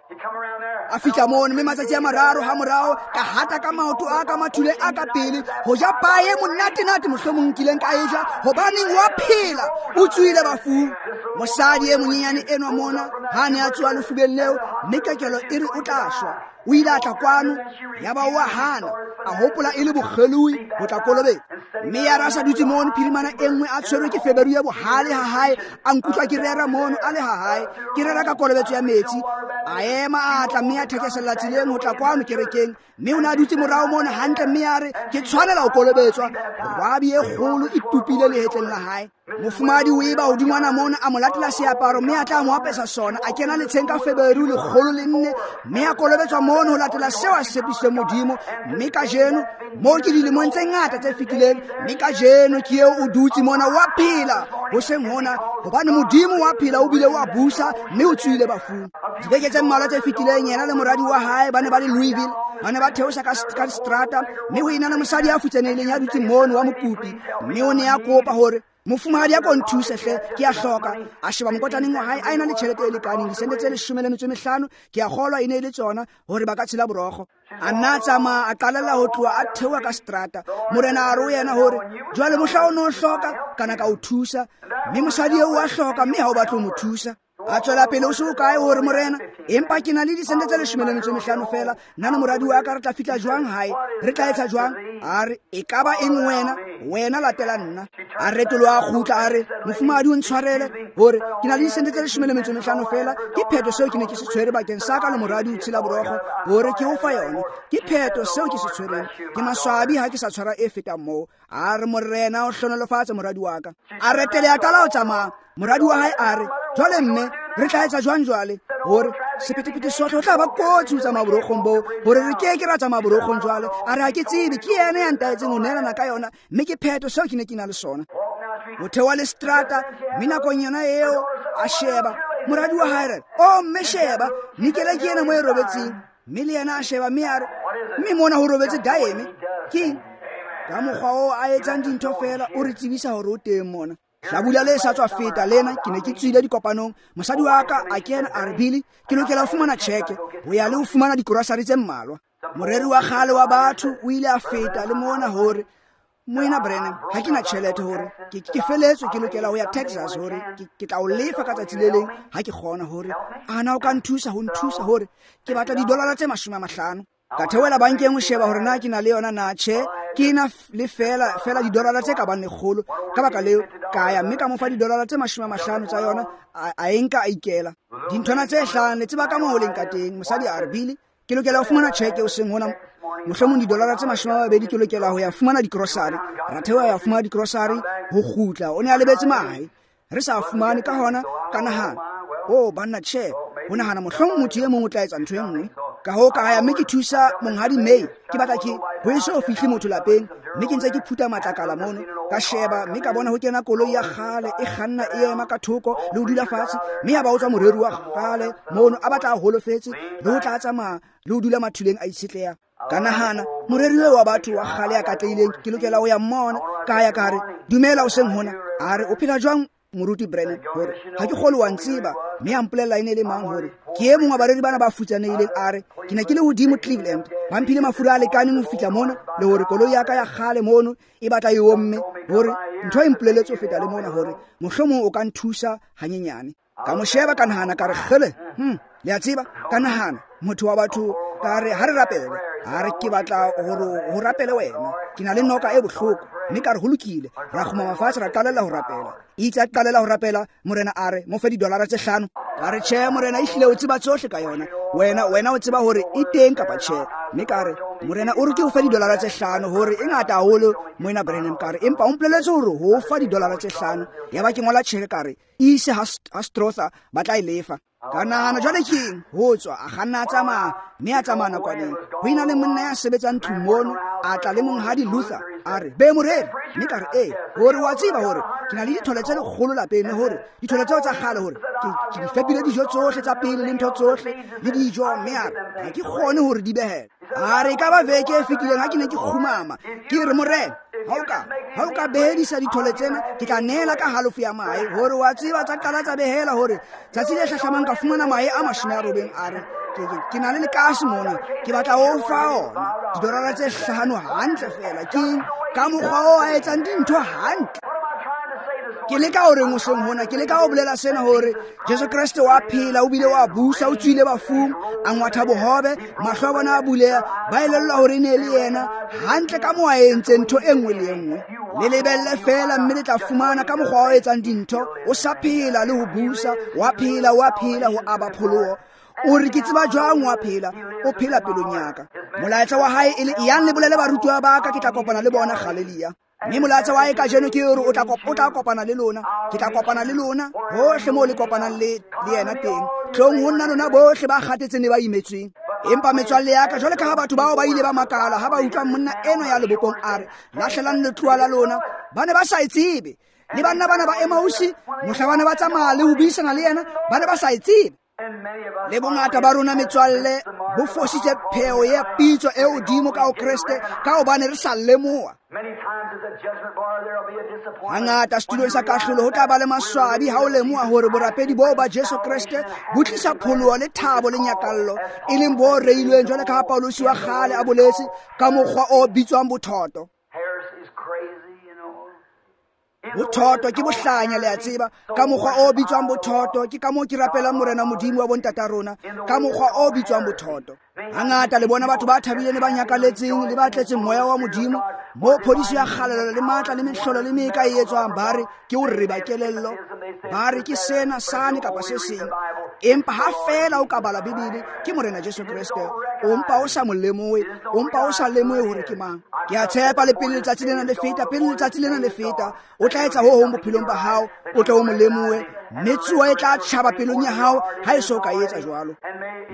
A: A fihla mono, mme matsatsi a mararo ha morao, ka hata ka maoto a ka mathule a ka pele, ho ja pae monate-nate mohlomong nkileng ka e ja, hobaneng wa phela, o tswile bafung. Mosadi e monyenyane enwa mona, ha ne a tsoha lefubeng leo, mme kekelo e re o tla shwa. O ile a tla kwano, yaba o a hana, a hopola e le bokgeloi ho tla kolobetsa. Mme ya re a sa dutse mono phirimana e nngwe a tshwerwe ke feberu ya bohale ha hae, a nkutlwa ke rera mono a le ha hae, ke rera ka kolobetso ya metsi. A ema a tla mme a thekesella tseleng ho tla kwano kerekeng, mme o ne a dutse morao mono hantle, mme a re ke tshwanela ho kolobetswa. Rwabi e kgolo e tupile lehetleng la hae. Mofumahadi o eba hodingwana mona a mo latela seaparo mme a tla mo apesa sona. A kena letsheng ka Feberu 104 mme a kolobetswa mono ho latela seo a se tshepisitseng Modimo. Mme kajeno moo ke dilemong tse ngata tse fetileng, mme kajeno ke eo o dutse mona wa phela hoseng hona, hobane Modimo wa phela o bile wa busa mme o tswile bafung. Dibeke tse mmalwa tse fetileng yena le moradi wa hae ba ne ba le Louisville, ba ne ba theosa ka strata, mme ho ena le mosadi ya futsanehileng ya dutseng mono wa mokopi, mme o ne a kopa hore mofumahadi a ko nthuse hle, ke a hloka. A sheba mokotlaneng wa hae a ena le tjhelete e lekaneng, disente tse 15, ke a kgolwa e ne e le tsona hore ba ka tshela borokgo. A nna a tsamaya a qalella ho tloha a theoha ka strata. Morena a re ho yena hore jwale mohla o no hloka kana ka o thusa, mme mosadi eo wa hloka mme ha o batle ho mo thusa. A tswela pele o se o kae hore morena, empa ke na le disente tse 15 fela, nna le moradi wa ka re tla fihla jwang hae, re tla etsa jwang? A re e ka ba eng wena, wena latela nna. A retoloha a kgutla a re mofumahadi o ntshwarele hore ke na le disente tse 15 fela, ke phetho seo ke ne ke se tshwere bakeng sa ka le moradi o tshela borokgo hore ke o fa yona, ke phetho seo ke se tshwereng, ke maswabi ha ke sa tshwara e fetang moo. A re morena o hlonolofatse moradi wa ka. A retele a qala ho tsamaya. Moradi wa hae a re jwale mme re tla etsa jwang jwale, hore sephethephethe sohle ho tla ba kotsi ho tsamaya borokgong boo, hore re ke ke ra tsamaya borokgong jwale. A re ha ke tsebe, ke yena ya ntaetseng ho neelana ka yona, mme ke phetho seo ke ne ke na le sona. Ho theoha le strata, mme nakong yona eo a sheba moradi wa hae re o mme sheba nikele ke ena mo e robetseng, mme le yena a sheba mme a re mme mona ho robetse daeme. Ke ka mokgwa oo a etsang dintho fela, o re tsebisa hore o teng mona. Hlabula le sa tswa feta lena, ke ne ke tswile dikopanong, mosadi wa ka a kena a re Billy, ke lokela ho fumana tjheke ho ya le ho fumana dikorosari tse mmalwa. Moreri wa kgale wa batho o ile a feta le mona hore moena Branham, ha ke na tjhelete hore ke feletswe, ke lokela ho ya Texas hore ke tla o lefa ka tsatsi le leng ha ke kgona, hore ana o ka nthusa ho nthusa hore ke batla didolara tse 50. Ka theohela bankeng ho sheba hore na ke na le yona na. Tjhe, ke na le fela didolara tse ka bang 100. Ka baka leo ka ya mme ka mo fa didolara tse 50 tsa yona, a e nka a ikela. Dinthwana tse hlano le tseba ka moo ho leng ka teng. Mosadi a re Billy, ke lokela ho fumana tjheke hoseng hona, mohlomong didolara tse 20 ke lokela ho ya fumana dikrosari. Ra theoha ya fumana dikrosari ho kgutla, o ne a lebetse mahe, re sa fumane. Ka hona ka nahana, o banna tjhe, ho nahana mohlomong motho e mong o tla etsa ntho e nngwe. Ka hoo ka ya mme ke thusa monghadi May, ke batla ke ho eso ho fihle motho lapeng, mme ke ntse ke phutha matlakala mono. Ka sheba mme ka bona ho kena koloi ya kgale e kganna e ema ka thoko le ho dula fatshe, mme ya ba o tswa moreri wa kgale mono a batla a holofetse le ho tla tsamaya le ho dula mathuleng a itshetleha. Ka nahana moreri wa batho wa kgale ya katlehileng, ke lokela ho ya mmona. Ka ya ka re dumela hoseng hona. A re o phela jwang moruti Branham, hore ha ke kgolwe wa ntseba. Mme a mpolella e ne le mang hore ke e mong wa bareri bana ba futsanehileng. A re ke ne ke le hodimo Cleveland, ba mphile mafura a lekaneng ho fihla mona, le hore koloi ya ka ya kgale mono e batla e omme, hore ntho e mpoleletse ho feta le mona hore mohlomong o ka nthusa hanyenyane. Ka mo sheba ka nahana ka re kgele, le a tseba, ka nahana motho wa batho, ka re ha re rapele. A re ke batla hore ho rapele wena, ke na le noka e bohloko. Mme ka re ho lokile, ra kgumama fatshe ra qalella ho rapela. Itse a qalella ho rapela, morena a re mo fe didolara tse 5. Ka re tjhe morena, ehlile o tseba tsohle ka yona, wena o tseba hore e teng kapa tjhe. Mme ka re morena o re ke o fe didolara tse 5, hore e ngata haholo moena Branham. Ka re empa o mpoleletse hore ho fa didolara tse 5. Yaba ke ngola tjheke ka re ise ha Strother ba tla e lefa. Ka nahana jwale ke eng ho tswa, a kganna a tsamaya mme a tsamaya nakwaneng. Ho ena le monna ya sebetsang tlung mono, a tla le monghadi Luther, a re be moreri. Mme ka re ee, hore wa tseba hore ke na le dithole tse 100 lapeng, le hore dithole tseo tsa kgale hore ke di fepile dijo tsohle tsa pele le ntho tsohle le dijo, mme a re ha ke kgone hore di behele. A re e ka ba veke e fetileng ha ke ne ke kgumama, ke re morena, ha o ka behedisa dithole tsena, ke tla neela ka halofo ya mahe. Hore wa tseba tsa qala tsa behela, hore tsatsi le hlahlamang ka fumana mahe a 80. A re ke na le lekase mona, ke batla ho fa ona didolara tse 5 hantle fela. Ke ka mokgwa oo a etsang dintho hantle. Ke leka hore hoseng hona, ke leka ho bolela sena hore Jesu Kreste wa phela, o bile wa busa, o tswile bafung, a ngwatha bohobe, mahlo a bona a buleha, ba elellwa hore e ne le yena hantle ka moo a entseng ntho e nngwe le e nngwe. Le lebelle fela mme le tla fumana ka mokgwa o etsang dintho, o sa phela le ho busa, wa phela, wa phela ho aba pholoho. O re ke tseba jwang wa phela, o phela pelong ya ka. Molaetsa wa hae e le yang le bolele barutiwa ba ka, ke tla kopana le bona Galilea. Mme molaetsa wa hae kajeno ke hore o tla kopana le lona. Ke tla kopana le lona hohle moo le kopanang le yena teng. Tlong ho nna lona bohle ba kgathetseng le ba imetsweng. Empa metswalle ya ka, jwale ka ha batho bao ba ile ba makala ha ba utlwa monna enwa ya lebopong a re lahlelang letloa la lona, ba ne ba sa e tsebe. Le banna bana ba Emausi, mohla ba ne ba tsamaya le ho buisana le yena, ba ne ba sa e tsebe. Le bongata ba rona metswalle bo fositse pheo ya pitso e hodimo ka ho Kreste ka hobane re sa lemoha. Hangata setulong sa kahlolo ho tla ba le maswabi ha o lemoha hore borapedi boo ba Jesu Kreste bo tlisa pholoho le thabo le nyakallo, e leng bo reilweng jwale ka ha Paulosi wa kgale a boletse ka mokgwa o bitswang bothoto. Bothoto ke bohlanya, le a tseba, ka mokgwa o bitswang bothoto. Ke ka moo ke rapelang Morena Modimo wa bontata rona ka mokgwa o bitswang bothoto. Hangata le bona batho ba thabileng le ba nyakaletseng le ba tletseng moya wa Modimo, moo phodiso ya kgalalelo le matla le mehlolo le meka e etswang, ba re ke o reba kelello, ba re ke sena sane kapa se seng. Empa ha feela o ka bala Bibele, ke Morena Jesu Kreste, o mpa o sa mo lemohe, o mpa o sa lemohe hore ke mang. Ke a tshepa le pele letsatsi lena le feta, pele letsatsi lena le feta, o tla etsa ho hong bophelong ba hao, o tle o mo lemohe, mme tsuo e tla tjhaba pelong ya hao ha e so ka etsa jwalo.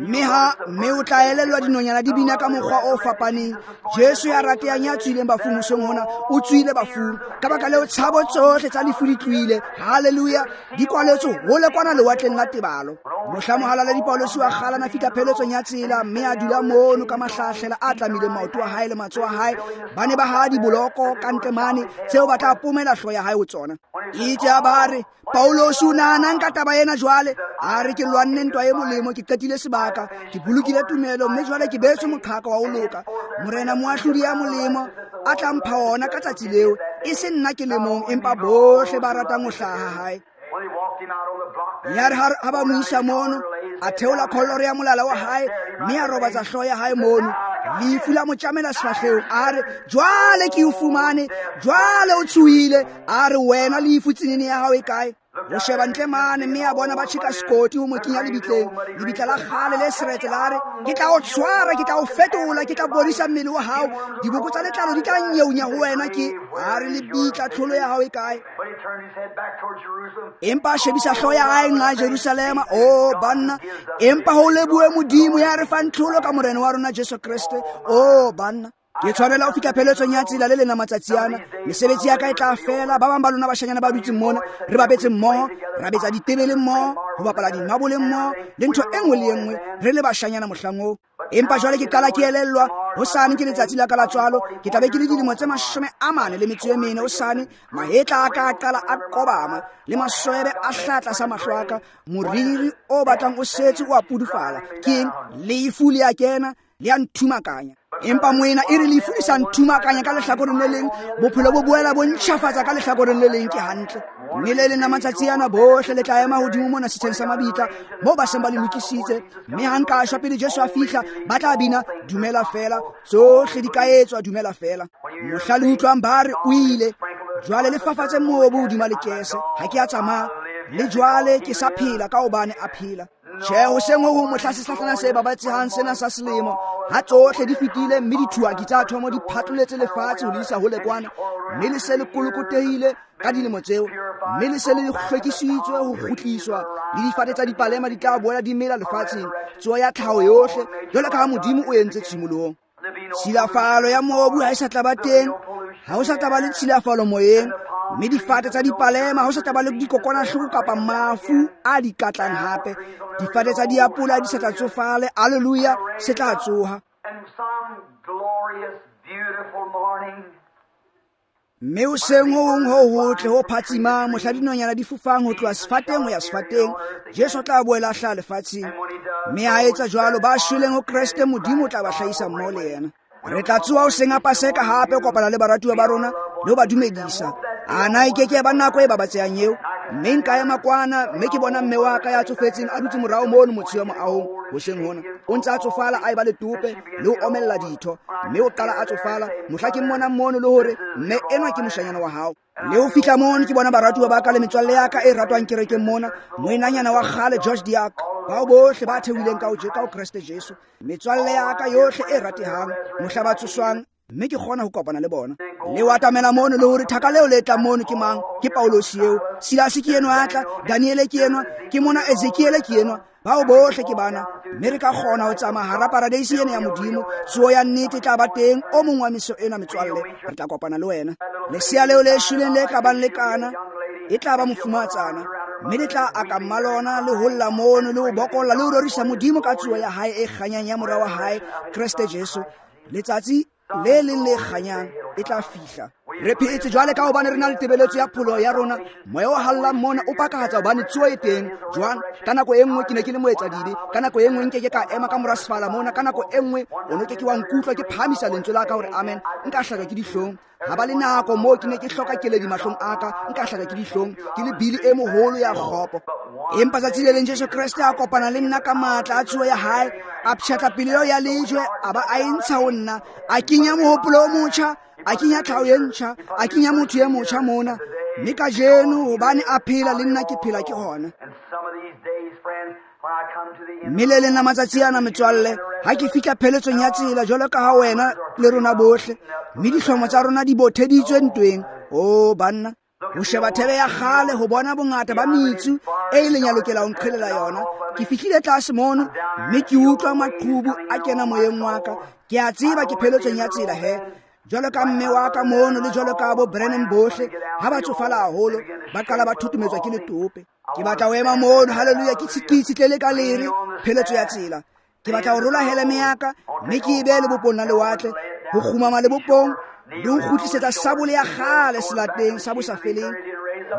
A: Mme o tla elellwa dinonyana di bina ka mokgwa o fapaneng. Jesu ya ratehang ya tswileng bafung hoseng hona, o tswile bafung. Ka baka leo tshabo tsohle tsa lefu di tlohile. Haleluya! Di kwaletswe hole kwana lewatleng la tebalo. Mohla mohalaledi Paulosi wa kgale a fihla pheletsong ya tsela, mme a dula mono ka mahlahlela a tlamileng maoto a hae le matsoho a hae. Ba ne ba haha diboloko ka ntle mane tseo ba tla pomela hlooho ya hae ho tsona. Itse a ba re, Paulosi o nahanang ka taba ena jwale? A re, ke lwanne ntwa e molemo, ke qetile sebaka, ke bolokile tumelo, mme jwale ke beetswe moqhaka wa ho loka. Morena moahlodi ya molemo a tla mpha ona ka tsatsi leo, e se nna ke le mong, empa bohle ba ratang ho hlaha ha hae. Ya re ha ba mo isa mono, a theola kholoro ya molala wa hae, mme a robatsa hlooho ya hae mono. Lefu la mo tjamela sefahlehong, a re, jwale ke o fumane, jwale o tshohile. A re, wena lefu, tsenene ya hao e kae? O sheba ntle mane, mme a bona ba tjheka sekoti ho mo kenya lebitleng, lebitla la kgale le seretse. La re, ke tla o tshwara, ke tla o fetola, ke tla bodisa mmele wa hao, diboko tsa letlalo di tla nyeunya ho wena. Ke a re, lebitla, tlholo ya hao e kae? Empa a shebisa hlooho ya hae nqa Jerusalema. O banna, empa ho lebohe Modimo ya re fang tlholo ka Morena wa rona Jesu Kreste. O banna, ke tshwanela ho fihla pheletsong ya tsela le lena matsatsi ana. Mesebetsi ya ka e tla fela. Ba bang ba lona bashanyana ba dutseng mona, re bapetse mmoho, ra betsa ditebele mmoho, ho bapala dimabole mmoho, le ntho e nngwe le e nngwe, re le bashanyana mohlang oo. Empa jwale ke qala ke elellwa, hosane ke letsatsi la ka la tswalo, ke tla be ke le dilemo tse 44 hosane. Mahetla a ka a qala a kobama, le maswebe a hlaha tlasa mahlo a ka, moriri o batlang o setse o a pudufala. Ke eng? Lefu le a kena, le a nthumakanya. Empa moena, e re lefu le sa nthumakanya ka lehlakoreng le leng, bophelo bo boela bo ntjhafatsa ka lehlakoreng le leng. Ke hantle. Mme le leng la matsatsi ana bohle le tla ema hodimo mona setsheng sa mabitla, moo ba seng ba le lokisitse. Mme ha nka shwa pele Jesu a fihla, ba tla bina dumela fela, tsohle di ka etswa, dumela fela. Mohla le utlwang ba re o ile, jwale le fafatse mobu hodima lekese. Ha ke a tsamaya, le jwale ke sa phela ka hobane a phela. Tjhe, hoseng ho hong mohla sehlahlana se babatsehang sena sa selemo, ha tsohle di fetile, mme dithuaki tsa thomo di phatloletse lefatshe ho le isa hole kwana, mme le se le kolokotehile ka dilemo tseo, mme le se le hlwekisitswe ho kgutliswa, le difate tsa dipalema di tla boela di mela lefatsheng, tsoho ya tlhaho yohle, jwalo ka ha Modimo o entse tshimolohong. Tshilafalo ya mobu ha e sa tla ba teng, ha ho sa tla ba le tshilafalo moyeng, mme difate tsa dipalema ha ho sa tla ba le dikokwanahloko kapa mafu a di katlang hape. Difate tsa diapola di sa tla tsofale. Alleluia, se tla tsoha. Mme hoseng ho hong ho hotle ho phatsimang, mohla dinonyana di fofang ho tloha sefateng ho ya sefateng, Jesu o tla boela a hlaha lefatsheng. Mme ha etsa jwalo, ba shweleng ho Kreste, Modimo o tla ba hlahisa mmoho le yena. Re tla tsoha hoseng a Paseka hape ho kopana le baratuwa ba rona le ho ba dumedisa. Ana e ke ke ya ba nako e babatsehang eo? Mme nka ema kwana, mme ke bona mme wa ka ya tsofetseng a dutse morao mono motsheo wa moahong hoseng hona. O ntse a tsofala, a eba letope le ho omella ditho, mme o qala a tsofala. Mohla ke mmonang mono le hore mme enwa ke moshanyana wa hao. Le ho fihla mono ke bona baratuwa ba ka le metswalle ya ka e ratwang kerekeng mona, moenanyana wa kgale George Diak, bao bohle ba theohileng ka ho Kreste Jesu, metswalle ya ka yohle e ratehang, mohla ba tsoswang, mme ke kgona ho kopana le bona. Le o atamela mono le hore thaka leo le tla mono ke mang? Ke Paulosi eo. Silasi ke enwa a tla, Daniele ke enwa, ke mona Ezekiele ke enwa. Bao bohle ke bana, mme re ka kgona ho tsamaya hara paradeisi ena ya Modimo. Tsoho ya nnete e tla ba teng o mong wa meso ena, metswalle. Re tla kopana le wena. Lesea leo le shweleng le ka bang le kana e tla ba mofumatsana, mme le tla aka mmalona le ho lla mono le ho bokolla le ho rorisa Modimo ka tsoho ya hae e kganyang ya mora wa hae Kreste Jesu. Letsatsi le leng le kganyang e tla fihla. Re phetse jwale ka hobane re na le tebeletso ya pholoho ya rona. Moya o hallang mona o pakahatsa hobane tsoho e teng. Jwang? Ka nako e nngwe ke ne ke le moetsadibe, ka nako e nngwe nke ke ka ema ka mora sefala mona, ka nako e nngwe o no ke ke wa nkutlwa ke phahamisa lentswe la ka hore amen, nka hlaka ke dihlong. Ha ba le nako moo ke ne ke hloka keledi mahlong a ka, nka hlaka ke dihlong, ke le bili e moholo ya kgopo. Empa tsatsi le leng Jesu Kreste a kopana le nna ka matla a tsoho ya hae, a pshatla pelo eo ya lejwe, a ba a e ntsha ho nna, a kenya mohopolo o motjha, a kenya tlhaho e ntjha, a kenya motho e motjha mona. Mme kajeno hobane a phela le nna ke phela ke hona. Mme le leng la matsatsi ana, metswalle, ha ke fihla pheletsong ya tsela jwalo ka ha wena le rona bohle, mme dihlomo tsa rona di botheditswe ntweng. O banna, ho sheba thebe ya kgale ho bona bongata ba metsu e ileng ya lokela ho nqhelela yona. Ke fihlile tlase mono mme ke utlwa maqhubu a kena moyeng wa ka. Ke a tseba ke pheletsong ya tsela he. Jwalo ka mme wa ka mono le jwalo ka bo Brennan bohle, ha ba tsofala haholo, ba qala ba thutumetswa ke letope. Ke batla ho ema mono, haleluya, ke itshitlele ka lere pheletso ya tsela. Ke batla ho rola heleme ya ka mme ke e behe lebopong la lewatle, ho kgumama lebopong le ho kgutlisetsa sabole ya kgale selateng sa bosafeleng,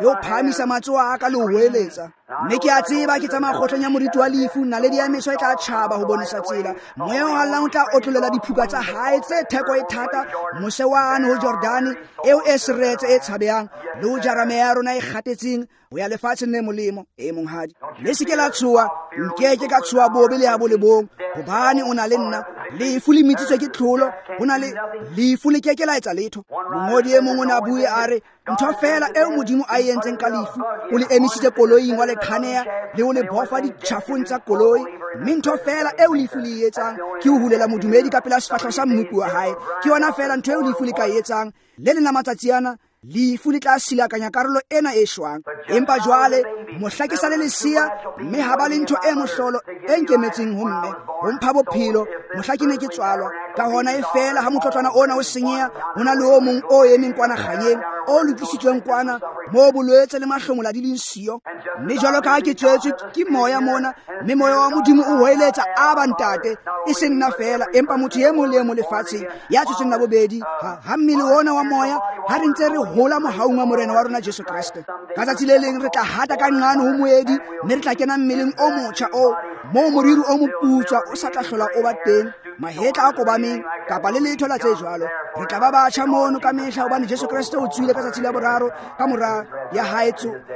A: le ho phahamisa matsoho a ka le ho hoeletsa. Mme ke a tseba ke tsamaya kgohlong ya moriti wa lefu, naledi ya meso e tla tjhaba ho bonesa tsela. Moya o hallang o tla otlolela diphuka tsa hae tse theko e thata mose wane ho Jordane eo e seretse e tshabehang, le ho jara meya ya rona e kgatetseng ho ya lefatsheng le molemo. E monghadi, le se ke la tshoha, nkeke ka tshoha bobe le ya bo le bong, hobane o na le nna. Lefu le metsitswe ke tlholo, ho na le lefu le keke la etsa letho. Mongodi e mong o ne a bue a re, ntho feela eo Modimo a e entseng ka lefu, o le emisitse koloing wa le khaneya le ho le bofa ditjhafong tsa koloi. Mme ntho feela eo lefu le e etsang ke ho hulela modumedi ka pela sefahleho sa mmopi wa hae. Ke yona feela ntho eo lefu le ka e etsang. Le leng la matsatsi ana lefu le tla silakanya karolo ena e shwang. Empa jwale mohla ke sa le lesea, mme ha ba le ntho e mohlolo e nkemetseng ho mme, ho mpha bophelo mohla ke ne ke tswalwa. Ka hona e feela ha motlotlwana ona o senyeha, ho na le o mong o emeng kwana kganyeng, o lokisitsweng kwana moo bolwetse le mahlomola di leng siyo. Mme jwalo ka ha ke tswetswe ke moya mona, mme moya wa Modimo o hoeletsa, Aba ntate, e se nna feela, empa motho e mong le e mong lefatsheng ya tswetsweng la bobedi, ha mmele ona wa moya, ha re ntse re hola mohaung wa Morena wa rona Jesu Kreste. Ka tsatsi le leng re tla hata ka nqane ho moedi, mme re tla kena mmeleng o motjha o moo moriri o moputswa o sa tla hlola o ba teng, mahetla a kobameng kapa le letho la tse jwalo. Re tla ba batjha mono ka mehla, hobane Jesu Kreste o tswile ka tsatsi la boraro ka mora ya hae,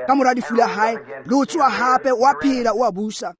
A: ka mora lefu la hae, le ho tsoha hape, wa phela, o a busa.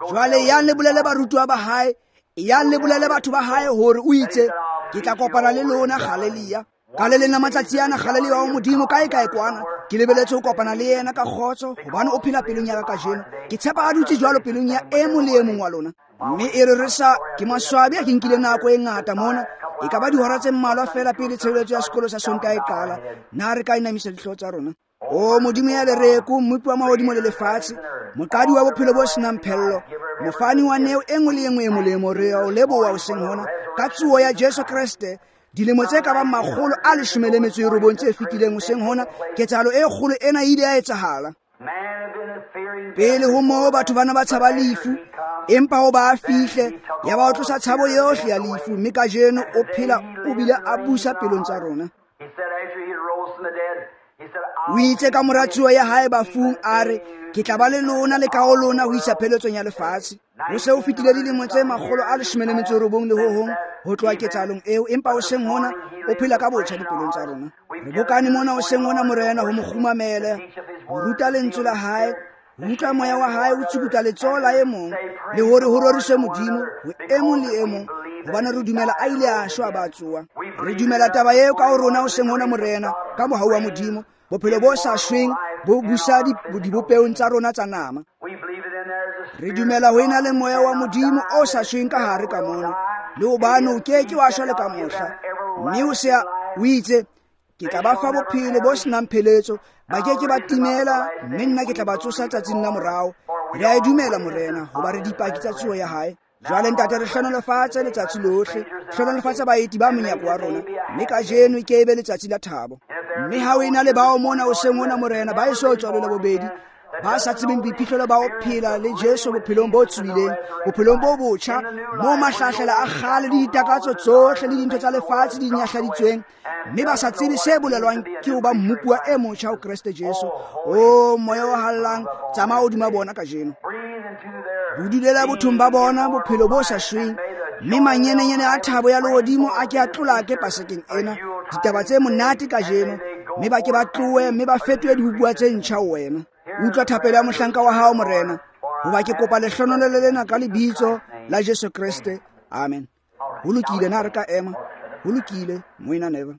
A: Jwale yang le bolele barutuwa ba hae, yang le bolele batho ba hae hore o itse, ke tla kopana le lona Galilea. Ka le leng la matsatsi ana Galilea wa Modimo kae kae kwana, ke lebeletse ho kopana le yena ka kgotso, hobane o phela pelong ya ka kajeno. Ke tshepa a dutse jwalo pelong ya e mong le e mong wa lona. Mme e re re sa ke maswabi a ke nkile nako e ngata mona, e ka ba dihora tse mmalwa feela pele tshebeletso ya sekolo sa Sontaha e qala. Na re ka inamisa dihlooho tsa rona? O Modimo ya lereko, mmopi wa mahodimo le lefatshe, moqadi wa bophelo bo senang phello, mofani wa neo e nngwe le e nngwe e molemo, re a o leboha hoseng hona ka tsoho ya Jesu Kreste. Dilemo tse ka bang 119 tse fetileng hoseng hona, ketsahalo e kgolo ena e ile ya etsahala. Pele ho moo batho bana ba tshaba lefu, empa ho ba fihle ya ba o tlosa tshabo yohle ya lefu, mme kajeno o phela o bile a busa pelong tsa rona. O itse ka mora tsoho ya hae bafung, a re, ke tla ba le lona le ka ho lona ho isa pheletsong ya lefatshe. Ho se ho fetile dilemo tse 119 le ho hong ho tloha ketsahalong eo, empa hoseng hona o phela ka botjha dipelong tsa rona. Re bokane mona hoseng hona, Morena, ho mo kgumamele, ho ruta lentswe la hae, ho utlwa moya wa hae o tsukutla letsoho la e mong, le hore ho roriswe Modimo ho e mong le e mong, hobane re dumela a ile a shwa ba tsoha. Re dumela taba eo ka ho rona hoseng hona, Morena, ka mohau wa Modimo, bophelo bo sa shweng bo busa dibopeong tsa rona tsa nama. Re dumela ho ena le moya wa Modimo o sa shweng ka hare ka mona, le hobane o ke ke wa shwa le ka mohla. Mme o se o itse, Ke tla ba fa bophelo bo senang pheletso, ba ke ke ba timela, mme nna ke tla ba tsosa tsatsing la morao. Re a e dumela, Morena, hoba re dipaki tsa tsoho ya hae. Jwale ntate, re hlohonolofatse letsatsi lohle, hlohonolofatse baeti ba monyako wa rona, mme kajeno ke ebe letsatsi la thabo. Mme ha o ena le bao mona hoseng hona, Morena, ba eso tswalwe la bobedi, ba sa tsebeng boiphihlelo ba ho phela le Jesu bophelong bo tswileng, bophelong bo botjha, moo mahlahlela a kgale le ditakatso tsohle le dintho tsa lefatshe di nyahladitsweng, mme ba sa tsebe se bolelwang ke ho ba mmupuwa e motjha ho Kreste Jesu. O moya o hallang, tsamaya hodima bona kajeno. Budulela bothong ba bona bophelo bo sa shweng, mme manyenenyene a thabo ya lehodimo a ke a tlolake pasekeng ena, ditaba tse monate kajeno, mme ba ke ba tlohe mme ba fetohe dibopuwa tse ntjha ho wena. Utlwa thapelo ya mohlanka wa hao, Morena, hoba ke kopa lehlohonolo lena ka lebitso la Jesu Kreste. Amen. Ho lokile, na re ka ema? Ho lokile, Moena Neville.